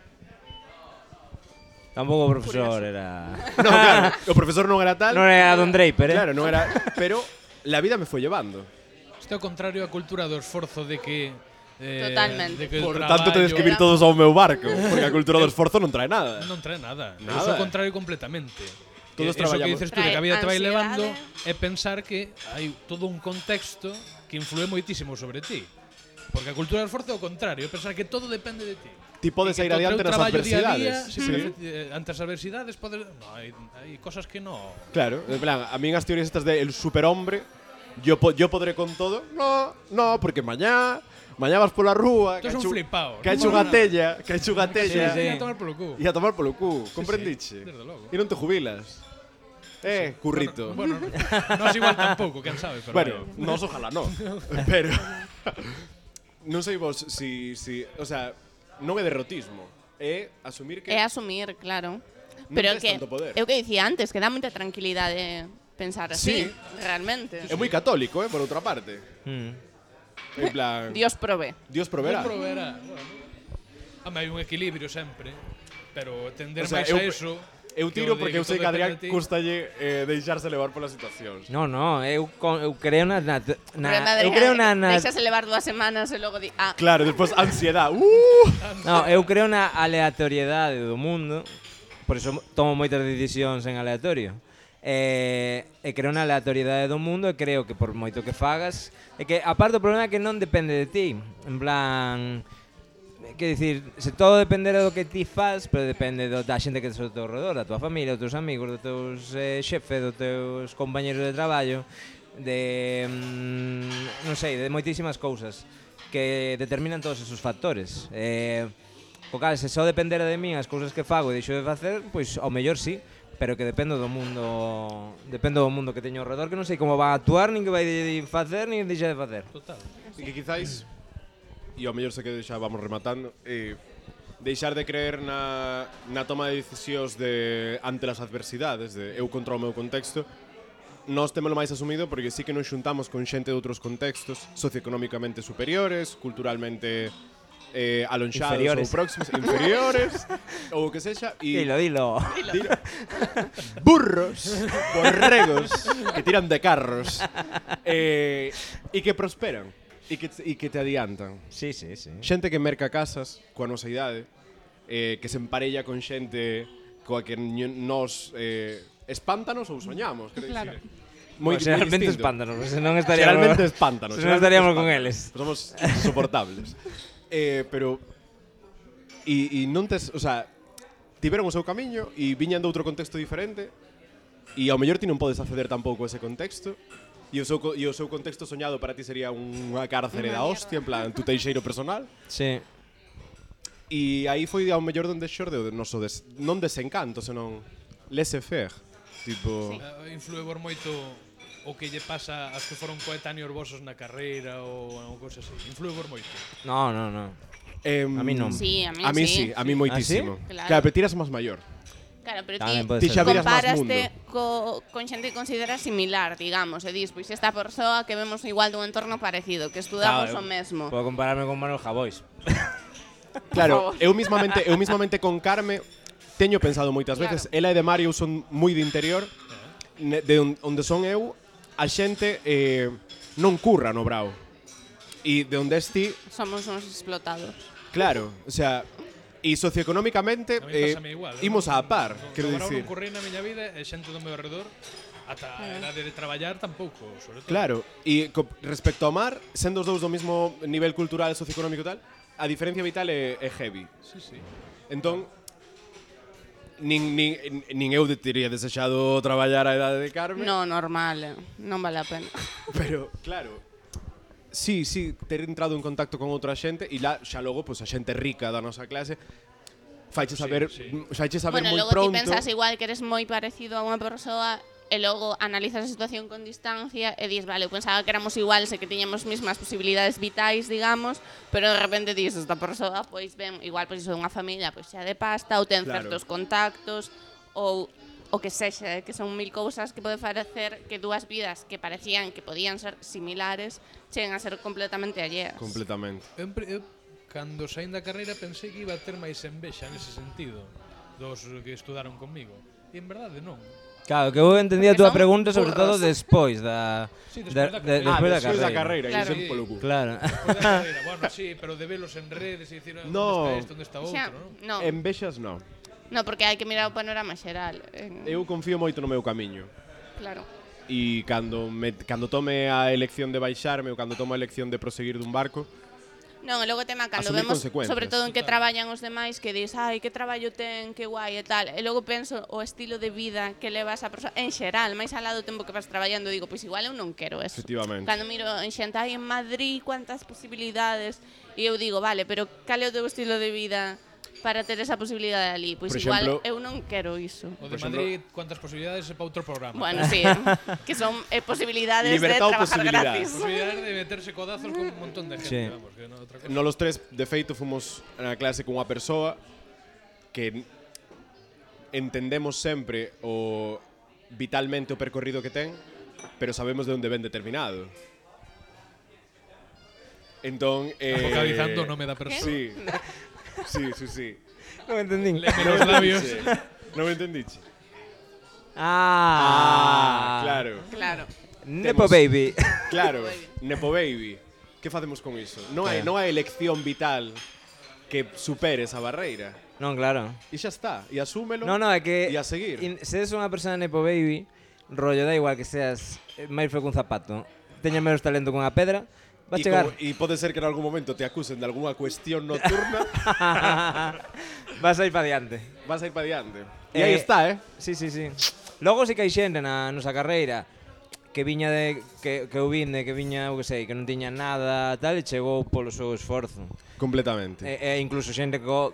Tampouco o profesor era... No, claro, o profesor non era tal. Non era Don Draper, eh? Claro, non era... Pero la vida me foi llevando. Isto é o contrario á cultura do esforzo de que eh, Totalmente. de que o Por tanto, tedes que vir traballo todos ao meu barco, porque a cultura do esforzo non trae nada. non trae nada. Nada. É o contrario completamente. Todos Eso que traballamos. dices tú, de que a Trae vida te vai ansiedade. levando é pensar que hai todo un contexto que influe moitísimo sobre ti. Porque a cultura do esforzo é o contrario, é pensar que todo depende de ti. Ti podes E que ir co teu adiante nas traballo día a día, adversidades. sí, Sí. pero, eh, ante as adversidades podes, no, hai, hai cosas que no. Claro, en plan, a mí as teorías estas de el superhombre, yo, po yo podré con todo. No, no, porque mañá, mañá vas pola rúa, Tú que es un ha hecho- flipao. que ha hecho Non unha mola nada. tella, que ha hecho unha Sí, tella. sí, a tomar polo cu. E a tomar polo cu, comprendiche? sí, desde logo. E non te jubilas. Eh, currito. Bueno, bueno, non es igual tampouco, quen sabe, pero Bueno, vaya. nos ojalá no. Pero non sei vos si, si, o sea, non é derrotismo, é asumir que É asumir, claro. Non Pero tes que tanto poder. eu que dicía antes, que dá moita tranquilidade pensar así, Sí. realmente. é moi católico, eh, por outra parte. Mm. En plan, Dios prové. Dios proverá. Dios proverá. Bueno. Home, hai un equilibrio sempre, pero tender O sea, máis eu- a eso. Eu que tiro o de porque eu sei que todo a Adrián depende de ti. custalle eh, deixarse levar polas situacións. No, no, eu, con, eu creo na, na, Problema na de eu creo na, na Deixase levar dúas semanas e logo di, ah, Claro, despois ansiedad. Uh! No, eu creo na aleatoriedade do mundo. Por iso tomo moitas decisións en aleatorio. E, e creo na aleatoriedade do mundo e creo que por moito que fagas é que aparte o problema é que non depende de ti. En plan, que dicir, se todo dependera do que ti faz, pero depende do, da xente que tes ao teu redor, da tua familia, dos teus amigos, dos teus eh, xefe, dos teus compañeros de traballo, de mm, non sei, de moitísimas cousas que determinan todos esos factores. Eh, o cal, se só dependera de min as cousas que fago e deixo de facer, pois ao mellor sí, pero que dependo do mundo, dependo do mundo que teño ao redor, que non sei como va a actuar, nin que vai de facer, nin deixa de facer. Total. E que quizáis, e ao mellor se que xa vamos rematando, eh, deixar de creer na, na toma de decisións de ante as adversidades, de eu contra o meu contexto, nós témolo máis asumido porque sí que nos xuntamos con xente de outros contextos socioeconómicamente superiores, culturalmente eh, alonxados Inferiores. ou próximos, inferiores, ou o que sexa, e Dilo, dilo. Dilo. burros, borregos que tiran de carros eh, e que prosperan e que, e que te adiantan. Sí, sí, sí. Xente que merca casas coa nosa idade, eh, que se emparella con xente coa que ño- nos eh, espántanos ou soñamos, quero Claro. dicir. Moi, Pues realmente moi distinto. espántanos, se non estaríamos Realmente espántanos. Se non estaríamos con realmente eles. espántanos. Somos insoportables. eh, pero e, e non tes, o sea, tiveron o seu camiño e viñan de outro contexto diferente e ao mellor ti non podes acceder tampouco a ese contexto e o seu, co- e o seu contexto soñado para ti sería unha cárcere da hostia, en plan, tu teixeiro personal. Sí. E aí foi ao mellor donde xorde o noso des, non desencanto, senón laissez-faire. Tipo, Eh, influe por moito o que lle pasa ás que foron coetáneos vosos na carreira ou unha cousa así. Influe por moito. No, no, no. em, A mí non. Sí, a mí a mí sí. sí, a mí moitísimo. ¿Ah, sí? Claro. Claro, pero tiras máis maior. Claro, pero Tamén ti pode Ti ser. xa viras máis comparaste mundo. co, con xente que consideras similar, digamos, e dis, pois esta persoa que vemos igual dun entorno parecido, que estudamos Claro, o mesmo. Puedo compararme con Manuel Javois. Claro, favor. eu mismamente, eu mismamente con Carme teño pensado moitas Claro. veces, ela e de Mario son moi de interior, ne- de on- onde son eu, a xente eh, non curra no brao. E de onde esti, Somos uns explotados. claro, o sea, e socioeconómicamente A mí eh, pásame igual. imos Eu a par, non- quero non- non dicir. currei na miña vida e xente do meu alrededor ata a edade de traballar tampouco, sobre todo. Claro, e co, respecto ao mar, sendo os dous do mismo nivel cultural e socioeconómico e tal, a diferencia vital é, é heavy. Sí, sí. Entón, nin, nin, nin eu de- teria desexado traballar a idade de Carme. No, normal, eh, non vale a pena. Pero, claro, sí, sí, ter entrado en contacto con outra xente e lá xa logo, pois, a xente rica da nosa clase faiche saber, sí. faiche saber Bueno, moi logo pronto. ti pensas igual que eres moi parecido a unha persoa e logo analizas a situación con distancia e dis, vale, eu pensaba que éramos iguales e que tiñamos mismas posibilidades vitais, digamos, pero de repente dis, esta persoa, pois ben, igual pois iso é unha familia pois xa de pasta ou ten Claro. certos contactos ou o que sexa, que son mil cousas que pode facer que dúas vidas que parecían que podían ser similares cheguen a ser completamente alleas. Completamente. Eu, empre- eu, cando saín da carreira pensei que iba a ter máis envexa nese sentido dos que estudaron conmigo. E en verdade non. Claro, que eu entendí a Porque túa son pregunta sobre todo burros. despois da Sí, despois da- da de- carreira. Ah, despois da despois da carreira. carreira, Claro. claro. polo cu. Claro. Despois da carreira, bueno, sí, pero de velos en redes e dicir, No. onde está este, onde está outro, Xa, non? no. Envexas, no. No, porque hai que mirar o panorama xeral. En... Eu confío moito no meu camiño. Claro. E cando, me, cando tome a elección de baixarme ou cando tome a elección de proseguir dun barco, Non, e logo tema cando asumir vemos, consecuencias. sobre todo en que traballan os demais, que dis, ai, que traballo ten, que guai e tal. E logo penso o estilo de vida que levas a persoa, en xeral, máis alá do tempo que vas traballando, digo, pois igual eu non quero eso. Efectivamente. Cando miro en xente, ai, en Madrid, cuántas posibilidades, e eu digo, vale, pero cal é o teu estilo de vida para ter esa posibilidade ali? Pois Por igual exemplo, eu non quero iso. O de Por exemplo- Madrid, cuántas posibilidades é para outro programa. Bueno, sí, que son eh, posibilidades Libertad de ou trabajar posibilidades? gratis. Posibilidades de meterse codazos con un montón de gente, Sí. vamos, que no outra cosa. no los tres, de feito, fomos na clase cunha persoa que entendemos sempre o vitalmente o percorrido que ten, pero sabemos de onde ven determinado. Entón, eh, Focalizando o nome da persoa. Sí. Sí, sí, sí. Non entendín. Leme los labios. Non me entendiche? Ah, claro. Claro. Nepo Temos- baby. Claro, Nepo Baby. Que facemos con iso? Non hai, Eh. non hai elección vital que supere esa barreira. Non, claro. E xa está, e asúmelo. No, no, é que E a seguir. in, se es unha persona nepo baby, rollo da igual que seas eh, máis feo que un zapato, teña menos talento con a pedra, va a E chegar. como- E pode ser que en algún momento te acusen de algunha cuestión nocturna, Vas a ir pa diante. vas a ir pa diante. E Eh, aí está, eh? Sí, sí, sí. Logo si que hai xente na nosa carreira que viña de que, que eu vin de que viña, eu que sei, que non tiña nada, tal, e chegou polo seu esforzo. Completamente. E, e incluso xente que co-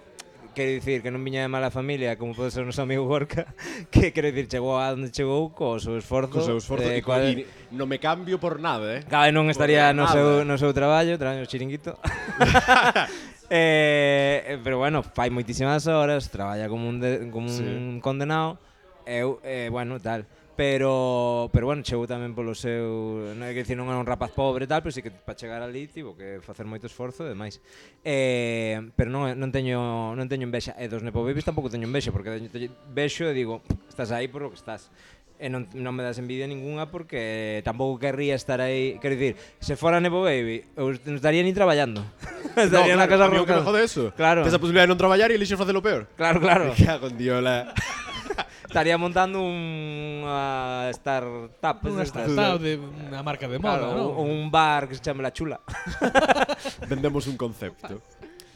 quero dicir que non viña de mala familia, como pode ser o noso amigo Gorka, que quero dicir chegou a onde chegou co seu esforzo. Co seu esforzo eh, e, co, coa- e non me cambio por nada, eh? Claro, e non estaría Por no nada. seu, no seu traballo, traballo no chiringuito. eh, pero bueno, fai moitísimas horas, traballa como un, de, como Sí. un condenado. Eu, eh, bueno, tal. Pero, pero bueno, chegou tamén polo seu, non é que dicir, non era un rapaz pobre e tal, pero sí que para chegar ali tivo que facer moito esforzo e demais. Eh, pero non, non teño non teño envexa, e dos Nepo Babies tampouco teño envexa, porque teño, teño vexo e digo, estás aí por o que estás. E non, non me das envidia ninguna porque tampouco querría estar aí. Quero dicir, se fora Nepo Baby, eu non estaría ni traballando. Estaría no, na claro, a casa mí o que me arrocado. jode eso. Claro. Tes a posibilidade de non traballar e elixes facelo peor. Claro, claro. Me cago en diola. Estaría montando unha startup. Unha estas. startup de unha marca de moda, Claro, ¿no? un, un bar que se chame La Chula. Vendemos un concepto.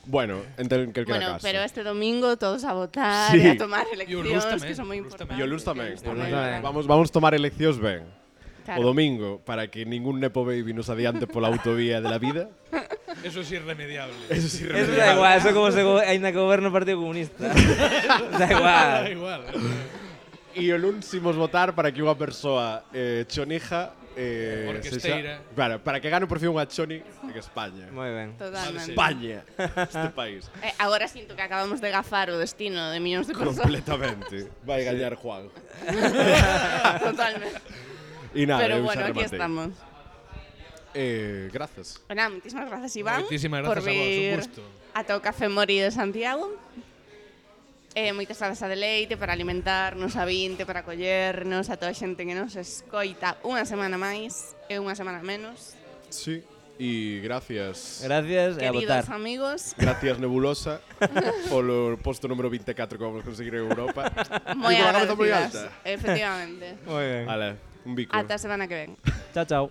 Bueno, en tel- calquera Bueno, caso. pero este domingo todos a votar Sí. e a tomar E o Luz eleccións tamén, que son moi o Luz importantes. tamén. E o Luz tamén. Que o Luz tamén. tamén. Vamos, vamos tomar eleccións ben. Claro. O domingo, para que ningún Nepo Baby nos adiante pola autovía de la vida. Eso es irremediable. Eso sí, Eso da igual, eso como se go aínda que goberno o Partido Comunista. da igual. Da igual. E o luns imos votar para que unha persoa eh, chonija eh, Orquesteira. sexa- Claro, para que gane por fin unha choni en España. Moi ben. Totalmente. España, este país. Eh, agora sinto que acabamos de gafar o destino de millóns de persoas. Completamente. Vai gañar Juan. Totalmente. E nada, Pero eu bueno, xa aquí rematei. estamos. Eh, grazas. Bueno, muchísimas gracias, Iván, Moitísimas por grazas a vos, un vir gusto. ata o Café Mori de Santiago. Eh, moitas grazas a Deleite para alimentarnos, a Vinte para acollernos, a toda a xente que nos escoita unha semana máis e unha semana menos. Sí. E gracias. Gracias e a Queridos votar. amigos, Gracias Nebulosa polo posto número veinticuatro que vamos a conseguir en Europa. moi E con a cabeza moi agradecidas. alta. Efectivamente. Moi ben. Vale, un bico. Ata a semana que ven. Chao, chao.